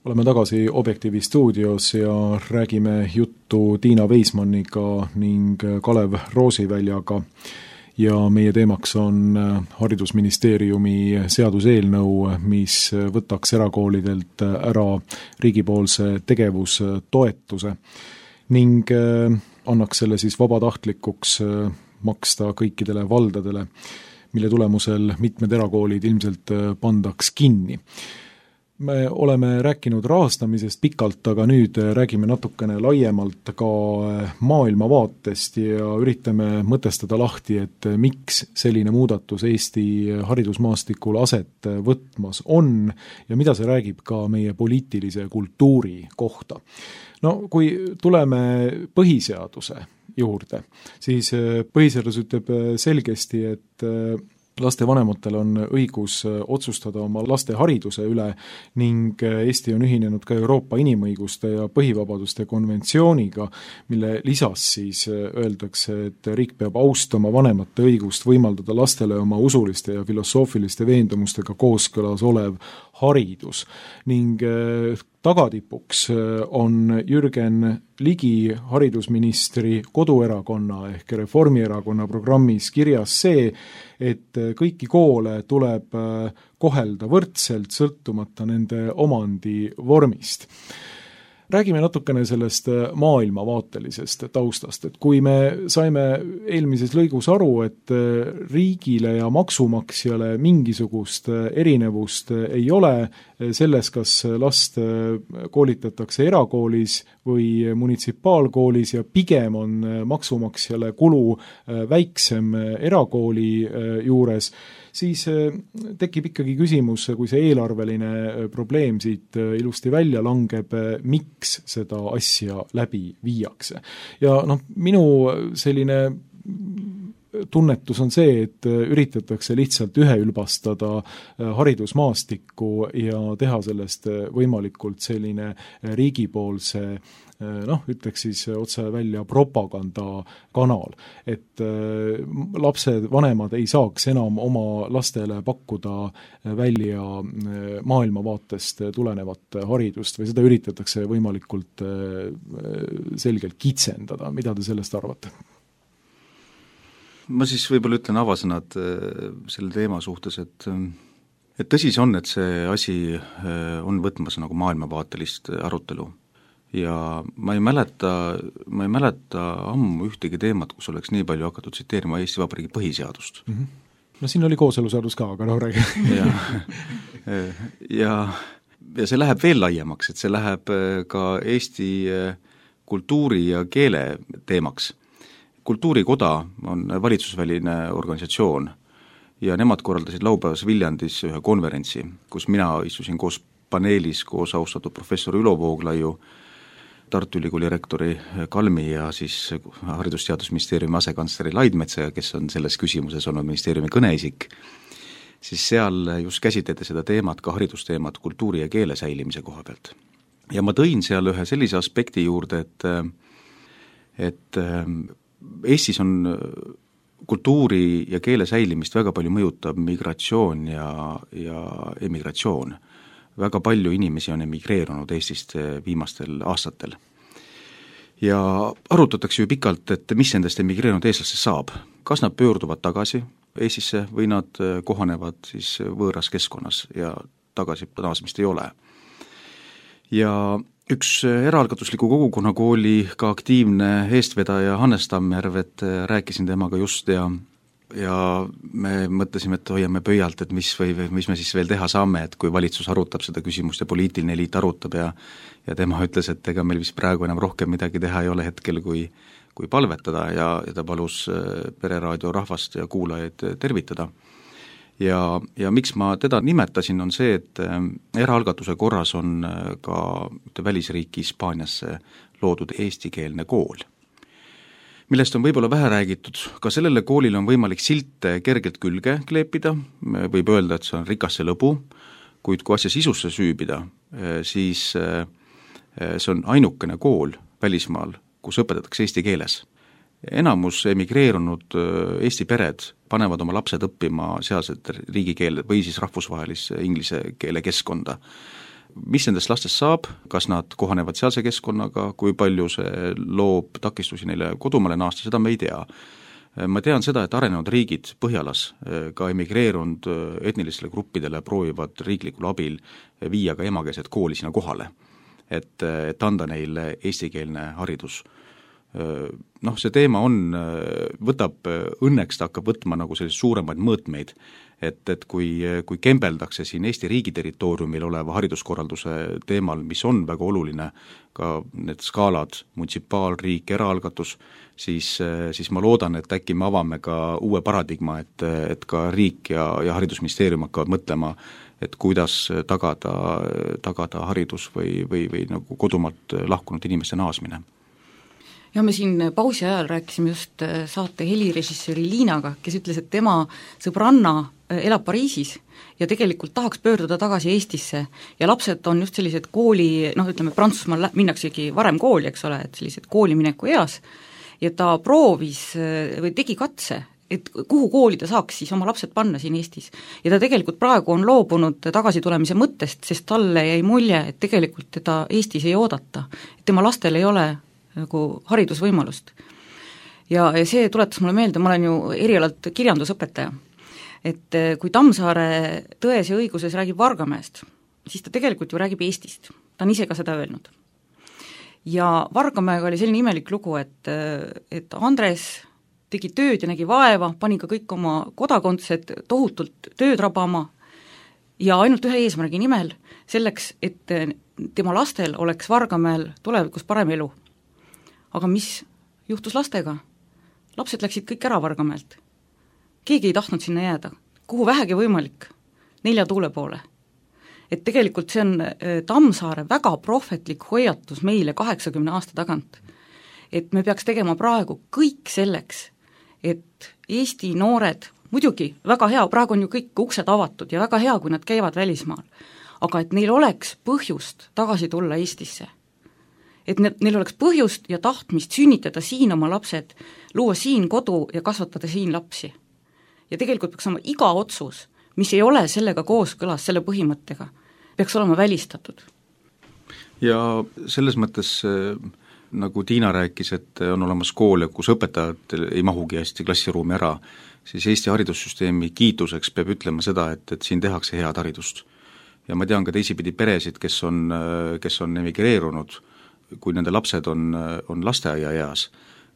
Oleme tagasi Objektiivi stuudios ja räägime juttu Tiina Veismanniga ning Kalev Roosiväljaga. Ja meie teemaks on haridusministeeriumi seaduseelnõu, mis võtaks erakoolidelt ära riigipoolse tegevustoetuse ning annaks selle siis vabatahtlikuks maksta kõikidele valdadele, mille tulemusel mitmed erakoolid ilmselt pandaks kinni. Me oleme rääkinud rahastamisest pikalt, aga nüüd räägime natukene laiemalt ka maailmavaatest ja üritame mõtestada lahti, et miks selline muudatus Eesti haridusmaastikul aset võtmas on ja mida see räägib ka meie poliitilise kultuuri kohta. No kui tuleme põhiseaduse juurde, siis põhiseadus ütleb selgesti, et lastevanematel on õigus otsustada oma laste hariduse üle ning Eesti on ühinenud ka Euroopa inimõiguste ja põhivabaduste konventsiooniga, mille lisas siis öeldakse, et riik peab austama vanemate õigust võimaldada lastele oma usuliste ja filosoofiliste veendumustega kooskõlas olev haridus ning tagatipuks on Jürgen Ligi haridusministri koduerakonna ehk Reformierakonna programmis kirjas see, et kõiki koole tuleb kohelda võrdselt, sõltumata nende omandi vormist. Räägime natukene sellest maailmavaatelisest taustast, et kui me saime eelmises lõigus aru, et riigile ja maksumaksjale mingisugust erinevust ei ole selles, kas last koolitatakse erakoolis või munitsipaalkoolis ja pigem on maksumaksjale kulu väiksem erakooli juures, siis tekib ikkagi küsimus, kui see eelarveline probleem siit ilusti välja langeb, miks seda asja läbi viiakse. Ja minu selline tunnetus on see, et üritatakse lihtsalt üheülbastada haridusmaastikku ja teha sellest võimalikult selline riigipoolse ütleks siis otse välja propagandakanal, et lapsed, vanemad ei saaks enam oma lastele pakkuda välja maailmavaatest tulenevat haridust või seda üritatakse võimalikult selgelt kitsendada. Mida te sellest arvate?
Ma siis võib-olla ütlen avasõnad selle teema suhtes, et tõsi see on, et see asi on võtmas nagu maailmavaatelist arutelu. Ja ma ei mäleta ammu ühtegi teemat, kus oleks nii palju hakatud tsiteerima Eesti Vabariigi põhiseadust.
No siin oli kooseluseadus ka, aga räägi.
ja see läheb veel laiemaks, et see läheb ka Eesti kultuuri ja keele teemaks. Kultuurikoda on valitsusväline organisatsioon ja nemad korraldasid laupäevas Viljandis ühe konverentsi, kus mina istusin koos paneelis koos austatud professor Ülo Vooglaiu, Tartu Ülikooli rektori Kalmi ja siis Haridus-Teadusministeeriumi asekantsleri Laidmetsa, kes on selles küsimuses olnud ministeeriumi kõneisik, siis seal just käsitleti seda teemat, ka haridusteemat kultuuri ja keele säilimise koha pealt. Ja ma tõin seal ühe sellise aspekti juurde, et Eestis on kultuuri ja keele säilimist väga palju mõjutab migratsioon ja emigratsioon. Väga palju inimesi on emigreerunud Eestist viimastel aastatel. Ja arutatakse ju pikalt, et mis nendest emigreerunud eestlastest saab. Kas nad pöörduvad tagasi Eestisse või nad kohanevad siis võõras keskkonnas ja tagasi naasmist ei ole. Ja üks eraalgatusliku kogukonnakooli ka aktiivne eestvedaja Hannes Tammjärv, et rääkisin temaga just ja me mõtlesime, et hoiame pöialt, et mis me siis veel teha saame, et kui valitsus arutab seda küsimust ja poliitiline eliit arutab ja tema ütles, et ega meil vist praegu enam rohkem midagi teha ei ole hetkel, kui palvetada ja ta palus Pereraadio rahvast ja kuulajaid tervitada. Ja miks ma teda nimetasin, on see, et eraalgatuse korras on ka välisriiki Hispaaniasse loodud eestikeelne kool, millest on võib-olla vähe räägitud. Ka sellele koolile on võimalik silte kergelt külge kleepida, võib öelda, et see on rikas see lõbu, kuid kui asja sisusse süübida, siis see on ainukene kool välismaal, kus õpetatakse eesti keeles. Enamus emigreerunud Eesti pered panevad oma lapsed õppima sealset riigikeele või siis rahvusvahelisse inglise keele keskkonda. Mis nendest lastest saab, kas nad kohanevad sealse keskkonnaga, kui palju see loob takistusi neile kodumaale naasta, seda me ei tea. Ma tean seda, et arenenud riigid Põhjalas ka emigreerunud etnilistele gruppidele proovivad riiklikul abil viia ka emakeelset kooli sinna kohale, et anda neile eestikeelne haridus. See teema võtab, õnneks ta hakkab võtma nagu sellised suuremaid mõõtmeid, et kui kembeldakse siin Eesti riigi territooriumil oleva hariduskorralduse teemal, mis on väga oluline, ka need skaalad, munitsipaalriik, eraalgatus, siis ma loodan, et äkki me avame ka uue paradigma, et ka riik ja haridusministeerium hakkavad mõtlema, et kuidas tagada haridus või nagu kodumaalt lahkunud inimeste naasmine.
Ja me siin pausi ajal rääkisime just saate helirežissööri Liinaga, kes ütles, et tema sõbranna elab Pariisis ja tegelikult tahaks pöörduda tagasi Eestisse ja lapsed on just sellised kooli, Prantsusmaal minnaksegi varem kooli, eks ole, et sellised koolimineku eas ja ta proovis või tegi katse, et kuhu kooli ta saaks siis oma lapsed panna siin Eestis. Ja ta tegelikult praegu on loobunud tagasitulemise mõttest, sest talle jäi mulje, et tegelikult teda Eestis ei oodata, et tema lastel ei ole nagu haridusvõimalust. Ja see tuletas mulle meelde, ma olen ju erialalt kirjandusõpetaja, et kui Tammsaare Tões ja õiguses räägib Vargamäest, siis ta tegelikult ju räägib Eestist, ta on ise ka seda öelnud. Ja Vargamäega oli selline imelik lugu, et Andres tegi tööd ja nägi vaeva, pani ka kõik oma kodakondsed tohutult tööd rabama ja ainult ühe eesmärgi nimel, selleks, et tema lastel oleks Vargamäel tulevikus parem elu. Aga mis juhtus lastega? Lapsed läksid kõik ära Vargamäelt. Keegi ei tahtnud sinna jääda, kuhu vähegi võimalik, 4 tuule poole. Et tegelikult see on Tammsaare väga prohvetlik hoiatus meile 80 aasta tagant. Et me peaks tegema praegu kõik selleks, et Eesti noored, muidugi väga hea, praegu on ju kõik uksed avatud ja väga hea, kui nad käivad välismaal, aga et neil oleks põhjust tagasi tulla Eestisse. Et neil oleks põhjust ja tahtmist sünnitada siin oma lapsed, luua siin kodu ja kasvatada siin lapsi. Ja tegelikult peaks olema iga otsus, mis ei ole sellega kooskõlas, selle põhimõttega, peaks olema välistatud.
Ja selles mõttes nagu Tiina rääkis, et on olemas koole, kus õpetajad ei mahugi hästi klassiruumi ära, siis Eesti haridussüsteemi kiituseks peab ütlema seda, et siin tehakse head haridust. Ja ma tean ka teisipidi peresid, kes on emigreerunud, kui nende lapsed on lasteaia eas,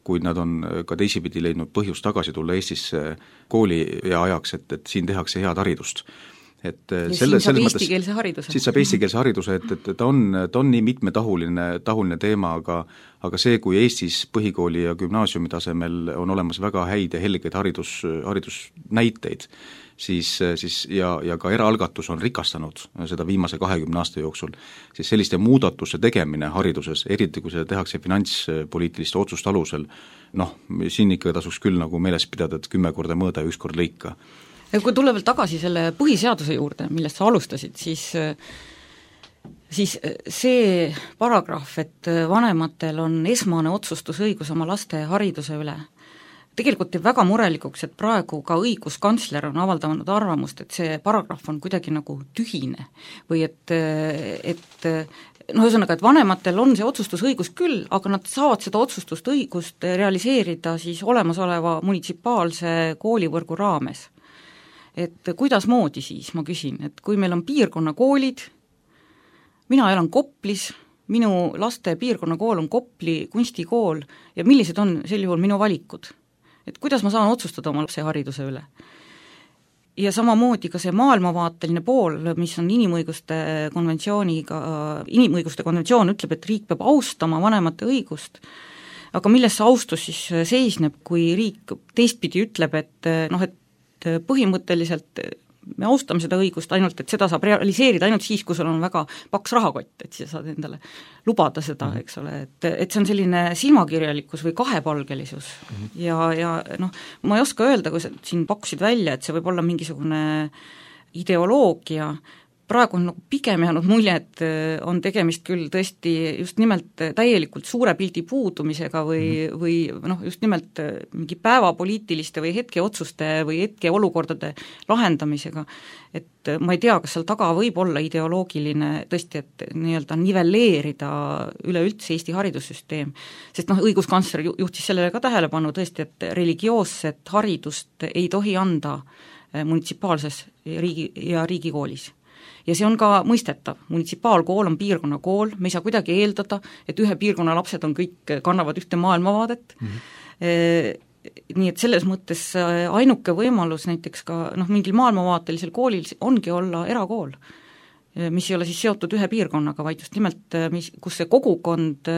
kuid nad on ka teisipidi leidnud põhjust tagasi tulla Eestisse kooli ja ajaks, et siin tehakse head haridust. Et
ja siin saab eestikeelse hariduse.
Siis saab eestikeelse hariduse, et ta on nii mitmetahuline teema, aga see, kui Eestis põhikooli ja gümnaasiumi tasemel on olemas väga häid ja helgeid haridusnäiteid, siis ja ka eraalgatus on rikastanud seda viimase 20 aasta jooksul, siis selliste muudatuste tegemine hariduses, eriti kui seda tehakse finantspoliitiliste otsuste alusel, siin ikka tasuks küll nagu meeles pidada, et 10 korda mõõda ja 1 kord lõika.
Ja kui tulla veel tagasi selle põhiseaduse juurde, millest sa alustasid, siis see paragrahv, et vanematel on esmane otsustusõigus oma laste hariduse üle, tegelikult teeb väga murelikuks, et praegu ka õiguskantsler on avaldanud arvamust, et see paragrahv on kuidagi nagu tühine või et ühesõnaga, et vanematel on see otsustusõigus küll, aga nad saavad seda otsustusõigust realiseerida siis olemasoleva munitsipaalse koolivõrgu raames. Et kuidas moodi siis, ma küsin, et kui meil on piirkonnakoolid, mina elan Koplis, minu laste piirkonnakool on Kopli kunstikool ja millised on sel juhul minu valikud? Et kuidas ma saan otsustada oma lapse hariduse üle? Ja samamoodi ka see maailmavaateline pool, mis on inimõiguste konventsioon ütleb, et riik peab austama vanemate õigust, aga milles see austus siis seisneb, kui riik teistpidi ütleb, et põhimõtteliselt me austame seda õigust ainult, et seda saab realiseerida ainult siis, kui sul on väga paks rahakott, et sa saad endale lubada seda, eks ole, et see on selline silmakirjalikkus või kahepalgelisus ja ma ei oska öelda, kui sa siin pakkusid välja, et see võib olla mingisugune ideoloogia, praegu on nagu pigem jäänud mulje, et on tegemist küll tõesti just nimelt täielikult suure pildi puudumisega või just nimelt mingi päevapoliitiliste või hetkeotsuste või hetkeolukordade lahendamisega, et ma ei tea, kas seal taga võib olla ideoloogiline tõesti, et nii-öelda nivelleerida üleüldse Eesti haridussüsteem, sest õiguskantsler juhtis sellele ka tähelepanu tõesti, et religioosset haridust ei tohi anda munitsipaalses riigikoolis. Ja see on ka mõistetav, munitsipaalkool on piirkonnakool, me ei saa kuidagi eeldada, et ühe piirkonna lapsed kõik kannavad ühte maailmavaadet, nii et selles mõttes ainuke võimalus näiteks ka mingil maailmavaatelisel koolil ongi olla erakool, mis ei ole siis seotud ühe piirkonnaga, vaid just nimelt, kus see kogukond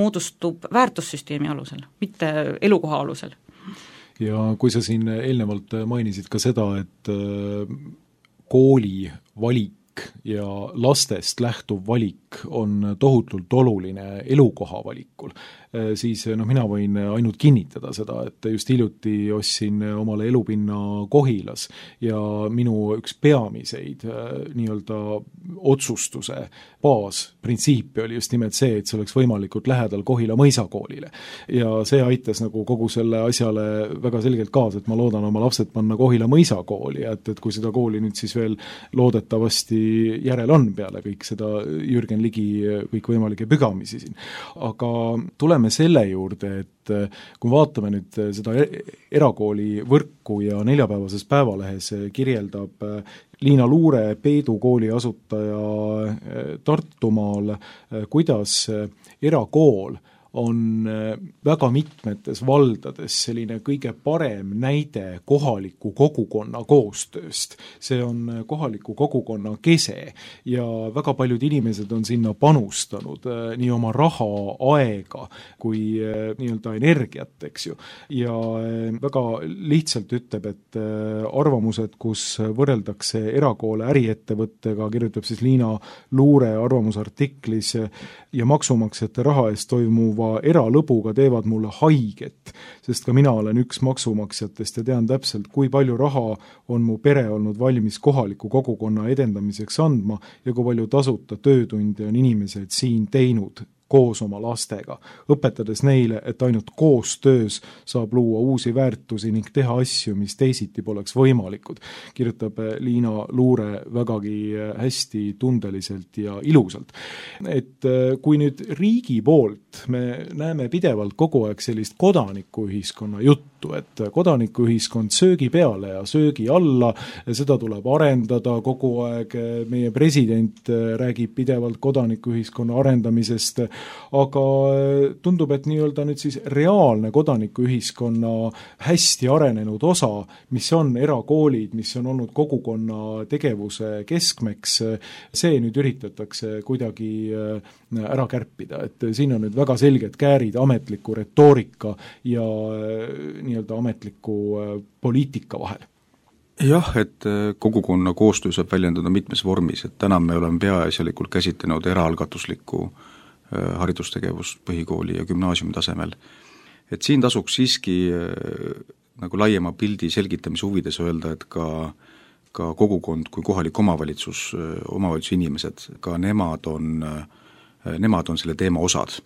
moodustub väärtussüsteemi alusel, mitte elukoha alusel.
Ja kui sa siin eelnevalt mainisid ka seda, et kooli valik ja lastest lähtuv valik on tohutult oluline elukoha valikul, siis mina võin ainult kinnitada seda, et just hiljuti ostsin omale elupinna Kohilas ja minu üks peamiseid nii-öelda otsustuse baasprintsiipi oli just nimelt see, et see oleks võimalikult lähedal Kohila mõisakoolile. Ja see aitas nagu kogu selle asjale väga selgelt kaasa, et ma loodan oma lapsed panna Kohila mõisakooli, et kui seda kooli nüüd siis veel loodetavasti järel on peale kõik seda Jürgen Ligi kõikvõimalike pügamisi siin. Aga tuleme selle juurde, et kui vaatame nüüd seda erakooli võrku ja neljapäevases Päevalehes kirjeldab Liina Luure, Peedu kooli asutaja Tartumaal, kuidas erakool on väga mitmetes valdades selline kõige parem näide kohaliku kogukonna koostööst. See on kohaliku kogukonna kese ja väga paljud inimesed on sinna panustanud nii oma raha, aega kui nii-öelda energiat, eks ju. Ja väga lihtsalt ütleb, et arvamused, kus võrreldakse erakoole äriettevõttega, kirjutab siis Liina Luure arvamusartiklis ja maksumaksjate raha eest toimuv puhuva eralõbuga teevad mulle haiget, sest ka mina olen üks maksumaksjatest ja tean täpselt, kui palju raha on mu pere olnud valmis kohaliku kogukonna edendamiseks andma ja kui palju tasuta töötunde on inimesed siin teinud koos oma lastega, õpetades neile, et ainult koostöös saab luua uusi väärtusi ning teha asju, mis teisiti poleks võimalikud, kirjutab Liina Luure vägagi hästi tundeliselt ja ilusalt. Et kui nüüd riigi poolt me näeme pidevalt kogu aeg sellist kodanikuühiskonna juttu, et kodanikuühiskond söögi peale ja söögi alla, seda tuleb arendada kogu aeg, meie president räägib pidevalt kodanikuühiskonna arendamisest, aga tundub, et nii-öelda nüüd siis reaalne kodanikuühiskonna hästi arenenud osa, mis on erakoolid, mis on olnud kogukonna tegevuse keskmeks, see nüüd üritatakse kuidagi ära kärpida, et siin on nüüd väga selged käärid ametliku retoorika ja nii-öelda ametliku poliitika vahel.
Jah, et kogukonna koostöö saab väljendada mitmes vormis, et täna me oleme peaasjalikult käsitlenud eraalgatuslikku haridustegevust põhikooli ja gümnaasiumi tasemel. Et siin tasuks siiski nagu laiema pildi selgitamise huvides öelda, et ka kogukond kui kohalik omavalitsuse inimesed, ka nemad on selle teema osad.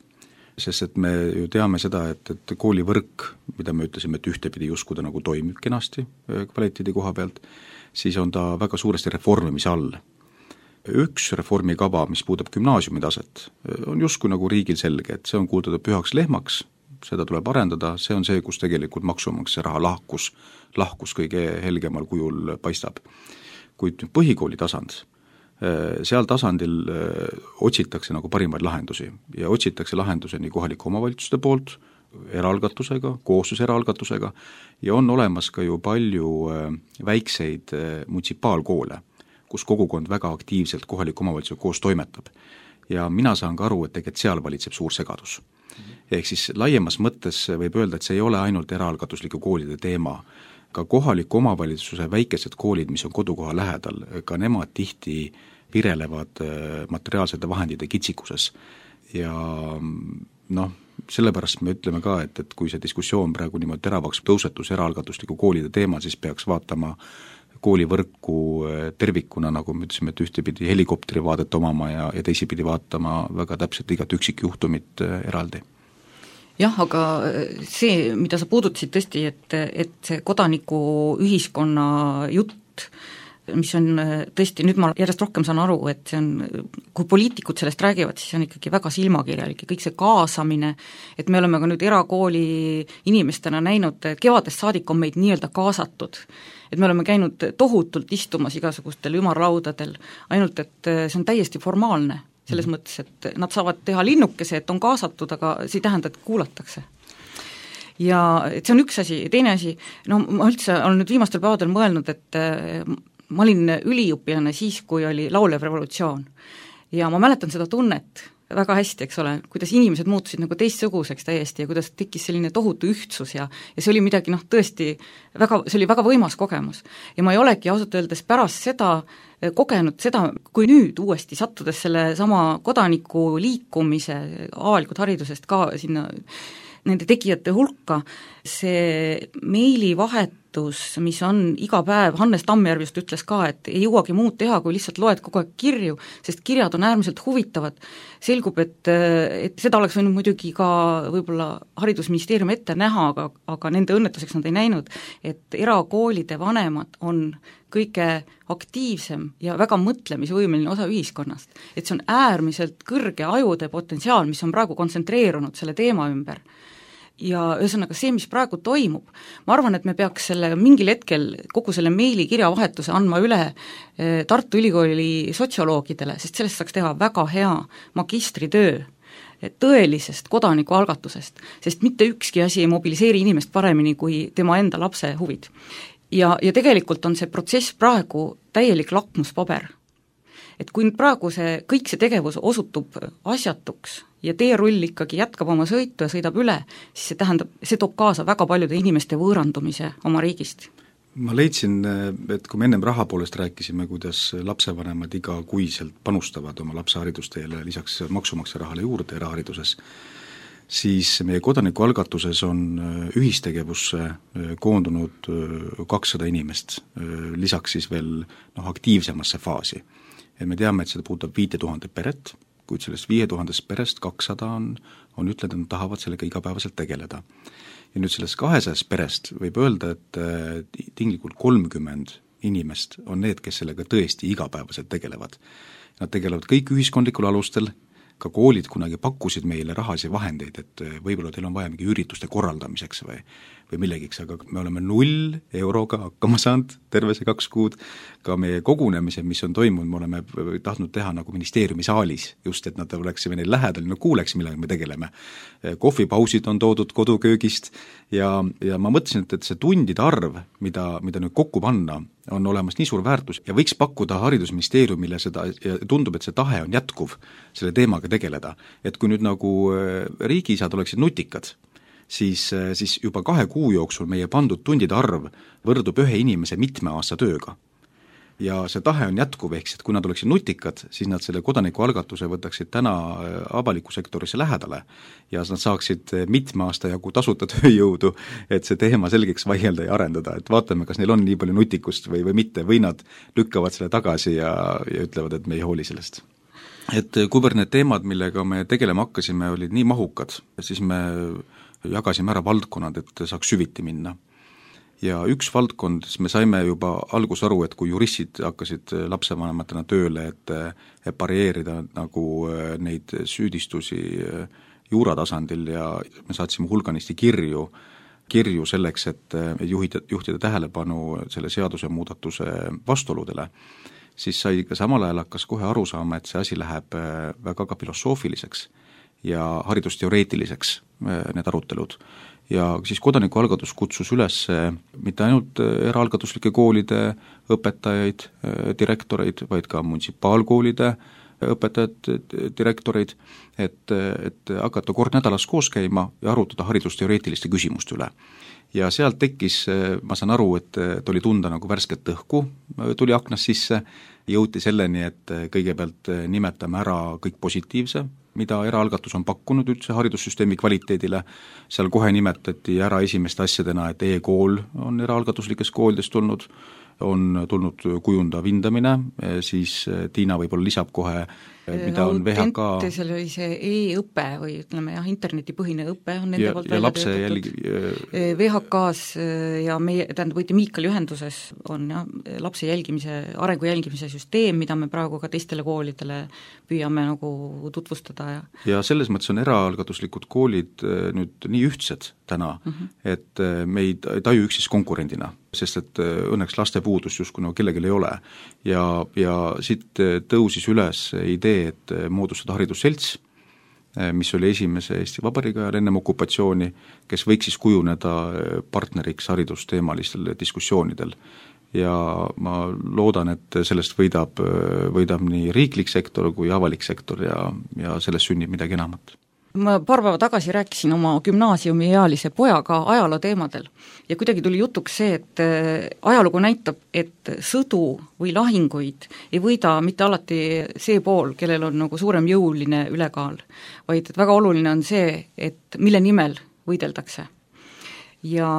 Sest et me ju teame seda, et koolivõrk, mida me ütlesime, et ühtepidi justkui ta nagu toimib kenasti kvaliteedi koha pealt, siis on ta väga suuresti reformimise all. Üks reformikava, mis puudub gümnaasiumi taset, on justkui nagu riigil selge, et see on kuulutatud pühaks lehmaks, seda tuleb arendada, see on see, kus tegelikult maksumaksja raha lahkus kõige helgemal kujul paistab. Kuid põhikooli tasand, seal tasandil otsitakse nagu parimaid lahendusi ja otsitakse lahendusi nii kohalike omavalitsuste poolt, eraalgatusega, koostöös eraalgatusega ja on olemas ka ju palju väikseid munitsipaalkoole, kus kogukond väga aktiivselt kohaliku omavalitsuse koos toimetab. Ja mina saan ka aru, et tegelikult seal valitseb suur segadus. Ehk siis laiemas mõttes võib öelda, et see ei ole ainult eraalgatusliku koolide teema. Ka kohaliku omavalitsuse väikesed koolid, mis on kodukoha lähedal, ka nemad tihti virelevad materiaalsete vahendite kitsikuses. Ja sellepärast me ütleme ka, et kui see diskussioon praegu niimoodi teravaks tõusetus eraalgatusliku koolide teemal, siis peaks vaatama koolivõrku tervikuna, nagu me ütlesime, et ühtepidi helikopteri vaadet omama ja teisipidi vaatama väga täpselt igat üksikjuhtumit eraldi.
Jah, aga see, mida sa puudutasid tõesti, et see kodanikuühiskonna jutt, mis on tõesti, nüüd ma järjest rohkem saan aru, et see on, kui poliitikud sellest räägivad, siis on ikkagi väga silmakirjalik ja kõik see kaasamine, et me oleme ka nüüd erakooli inimestena näinud, kevadest saadik on meid nii-öelda kaasatud, et me oleme käinud tohutult istumas igasugustel ümarlaudadel, ainult et see on täiesti formaalne, selles mõttes, et nad saavad teha linnukese, et on kaasatud, aga see ei tähenda, et kuulatakse. Ja et see on üks asi, teine asi, ma üldse olen nüüd viimastel päevadel mõelnud, et ma olin üliõpilane siis, kui oli laulev revolutsioon ja ma mäletan seda tunnet väga hästi, eks ole, kuidas inimesed muutusid nagu teistsuguseks täiesti ja kuidas tekkis selline tohutu ühtsus ja see oli midagi tõesti väga, see oli väga võimas kogemus. Ja ma ei olegi ausalt öeldes pärast seda kogenud seda, kui nüüd uuesti sattudes selle sama kodaniku liikumise avalikult haridusest ka sinna nende tegijate hulka, see meilivahetus, mis on iga päev, Hannes Tammjärv just ütles ka, et ei jõuagi muud teha, kui lihtsalt loed kogu aeg kirju, sest kirjad on äärmiselt huvitavad. Selgub, et seda oleks võinud muidugi ka võib-olla haridusministeerium ette näha, aga nende õnnetuseks nad ei näinud, et erakoolide vanemad on kõige aktiivsem ja väga mõtlemisvõimeline osa ühiskonnast. Et see on äärmiselt kõrge ajude potentsiaal, mis on praegu kontsentreerunud selle teema ümber. Ja ühesõnaga see, mis praegu toimub, ma arvan, et me peaks selle mingil hetkel kogu selle meili-kirjavahetuse andma üle Tartu Ülikooli sotsioloogidele, sest sellest saaks teha väga hea magistritöö tõelisest kodanikualgatusest, sest mitte ükski asi ei mobiliseeri inimest paremini kui tema enda lapse huvid. Ja tegelikult on see protsess praegu täielik lakmuspaber. Et kui nüüd praegu kõik see tegevus osutub asjatuks ja teerull ikkagi jätkab oma sõitu ja sõidab üle, siis see toob kaasa väga paljude inimeste võõrandumise oma riigist.
Ma leidsin, et kui me ennem raha poolest rääkisime, kuidas lapsevanemad igakuiselt panustavad oma lapse haridusteele lisaks maksumaksja rahale juurde erahariduses, siis meie kodanikualgatuses on ühistegevusse koondunud 200 inimest, lisaks siis veel aktiivsemasse faasi. Ja me teame, et seda puudutab 5000 peret, kuid sellest 5000 perest 200 on ütlenud, et nad tahavad sellega igapäevaselt tegeleda. Ja nüüd sellest 200 perest võib öelda, et tinglikult 30 inimest on need, kes sellega tõesti igapäevaselt tegelevad. Nad tegelevad kõik ühiskondlikul alustel, ka koolid kunagi pakkusid meile rahalisi vahendeid, et võib-olla teil on vaja mingi ürituste korraldamiseks või millegiks, aga me oleme 0 euroga hakkama saanud terve see 2 kuud. Ka meie kogunemised, mis on toimunud, me oleme tahtnud teha nagu ministeeriumi saalis, just et nad oleksime neil lähedal, no kuuleks, millega me tegeleme. Kohvipausid on toodud koduköögist ja ma mõtlesin, et see tundide arv, mida nüüd kokku panna, on olemas nii suur väärtus ja võiks pakkuda haridusministeeriumile seda ja tundub, et see tahe on jätkuv selle teemaga tegeleda. Et kui nüüd nagu riigiisad oleksid nutikad, siis juba 2 kuu jooksul meie pandud tundide arv võrdub 1 inimese mitme aasta tööga. Ja see tahe on jätkuv, ehk et kui nad oleksid nutikad, siis nad selle kodanikualgatuse võtaksid täna avaliku sektorisse lähedale ja nad saaksid mitme aasta jagu tasuta tööjõudu, et see teema selgeks vaielda ja arendada, et vaatame, kas neil on nii palju nutikust või mitte, või nad lükkavad selle tagasi ja ütlevad, et me ei hooli sellest. Et kuivõrd need teemad, millega me tegelema hakkasime, olid nii mahukad, siis me jagasime ära valdkonnad, et saaks süviti minna. Ja üks valdkond, me saime juba algus aru, et kui juristid hakkasid lapsevanematena tööle, et parieerida nagu neid süüdistusi juuratasandil ja me saatsime hulganisti kirju selleks, et juhtida tähelepanu selle seadusemuudatuse vastuoludele, siis sai ka samal ajal hakkas kohe aru saama, et see asi läheb väga ka filosoofiliseks ja haridusteoreetiliseks need arutelud. Ja siis kodanikualgatus kutsus üles mitte ainult eraalgatuslike koolide õpetajaid, direktoreid, vaid ka munitsipaalkoolide õpetajad, direktoreid, et hakata kord nädalas koos käima ja arutada haridusteoreetiliste küsimuste üle. Ja sealt tekkis, ma saan aru, et oli tunda nagu värsket õhku, tuli aknast sisse, jõuti selleni, et kõigepealt nimetame ära kõik positiivse, mida eraalgatus on pakkunud üldse haridussüsteemi kvaliteedile, seal kohe nimetati ära esimeste asjadena, et e-kool on eraalgatuslikes koolides tulnud, on tulnud kujundav hindamine, siis Tiina võib-olla lisab kohe, mida on VHK.
Seal oli see e-õpe või ütleme jah, internetipõhine õpe on nende poolt
välja töötatud.
VHK-s ja meie, võite Miikali ühenduses on jah, lapse jälgimise, arengu jälgimise süsteem, mida me praegu ka teistele koolidele püüame nagu tutvustada. Ja
selles mõttes on eraalgatuslikud koolid nüüd nii ühtsed täna, et me ei taju üksis konkurendina, sest et õnneks laste puudust justkui nagu kellelgi ei ole. Ja siit tõusis üles idee, et moodustada haridusselts, mis oli esimese Eesti Vabariigi ajal ennem okupatsiooni, kes võiks siis kujuneda partneriks haridusteemalistel diskussioonidel. Ja ma loodan, et sellest võidab nii riiklik sektor kui avalik sektor ja sellest sünnib midagi enamat.
Ma paar päeva tagasi rääkisin oma gümnaasiumiealise pojaga ajaloo teemadel ja kuidagi tuli jutuks see, et ajalugu näitab, et sõdu või lahinguid ei võida mitte alati see pool, kellel on nagu suurem jõuline ülekaal, vaid et väga oluline on see, et mille nimel võideldakse. Ja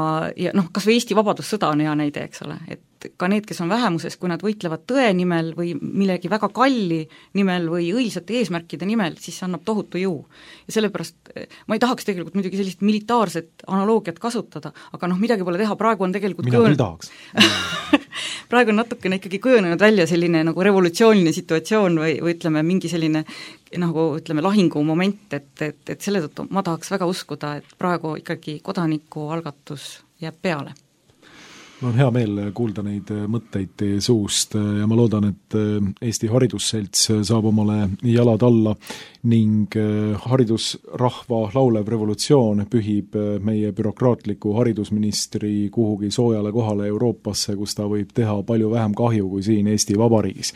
kas või Eesti vabadussõda on hea näide, eks ole, et ka need, kes on vähemuses, kui nad võitlevad tõe nimel või millegi väga kalli nimel või õilsate eesmärkide nimel, siis see annab tohutu jõu. Ja sellepärast ma ei tahaks tegelikult muidugi sellist militaarset analoogiat kasutada, aga midagi pole teha, praegu on tegelikult
mina küll tahaks.
Praegu on natukene ikkagi kujunenud välja selline nagu revolutsiooniline situatsioon või ütleme, mingi selline nagu ütleme lahingumoment, et selle tõttu ma tahaks väga uskuda, et praegu ikkagi kodanikualgatus jääb peale.
Mul on hea meel kuulda neid mõtteid teie suust ja ma loodan, et Eesti Haridusselts saab omale jalad alla ning haridusrahva laulev revolutsioon pühib meie bürokraatliku haridusministri kuhugi soojale kohale Euroopasse, kus ta võib teha palju vähem kahju kui siin Eesti Vabariigis.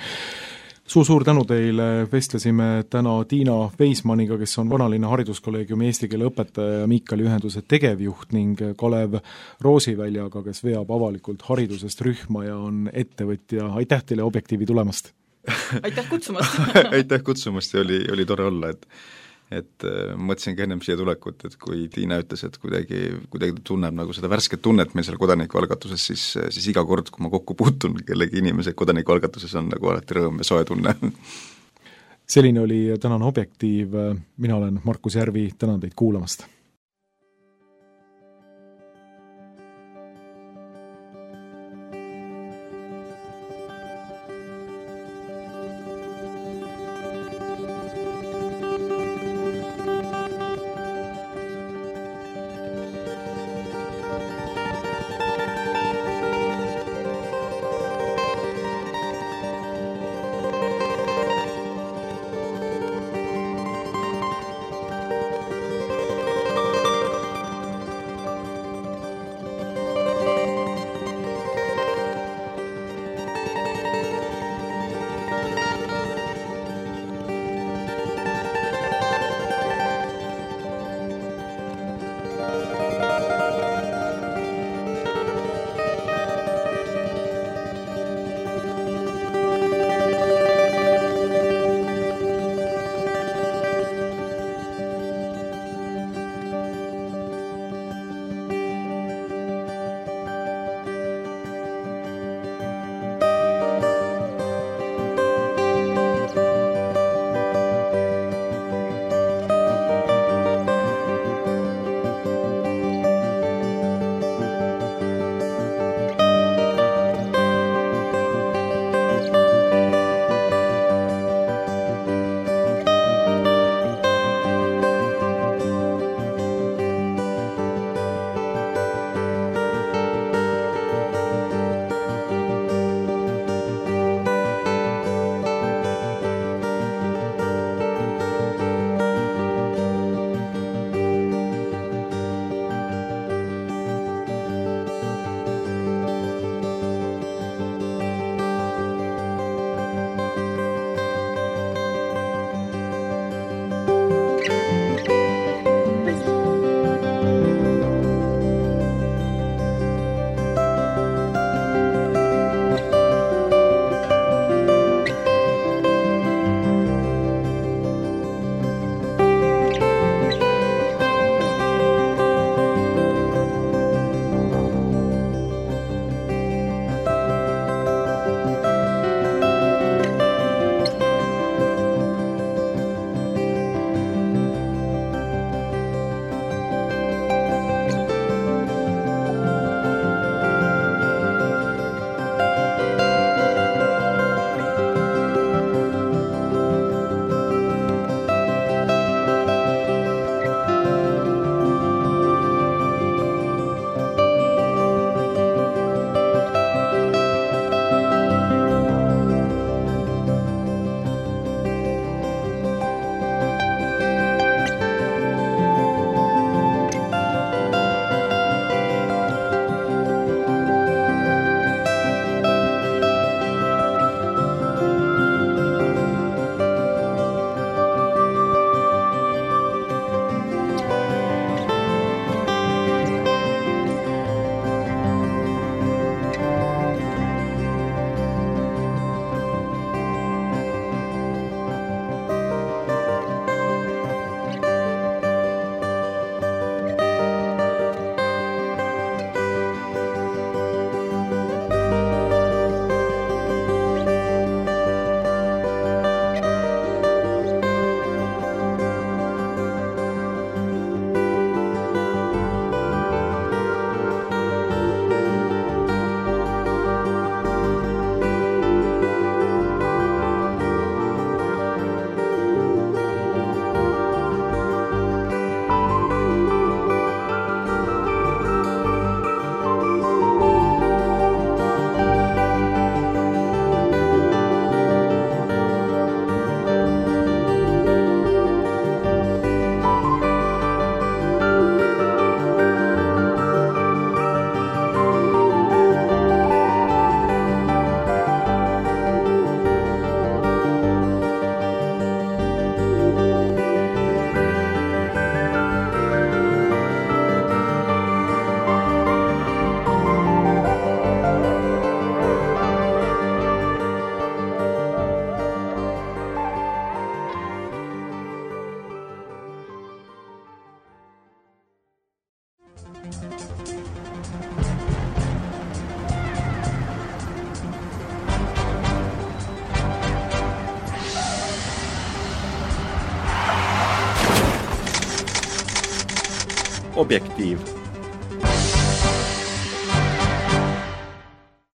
Suur tänu teile, vestlesime täna Tiina Veismaniga, kes on Vanalinna hariduskolleegiumi eesti keele õpetaja ja Miikali ühenduse tegevjuht ning Kalev Roosiväljaga, kes veab avalikult haridusest rühma ja on ettevõtja. Aitäh teile Objektiivi tulemast!
Aitäh kutsumast!
Aitäh kutsumast ja oli tore olla, et et mõtlesingi ennem siia tulekut, et kui Tiina ütles, et kuidagi ta tunneb nagu seda värsket tunnet meil seal kodanikualgatuses, siis iga kord, kui ma kokku puutun kellegi inimese kodanikualgatuses, on nagu alati rõõm ja soe tunne.
Selline oli tänane Objektiiv, mina olen Markus Järvi, tänan teid kuulamast!
Objektiiv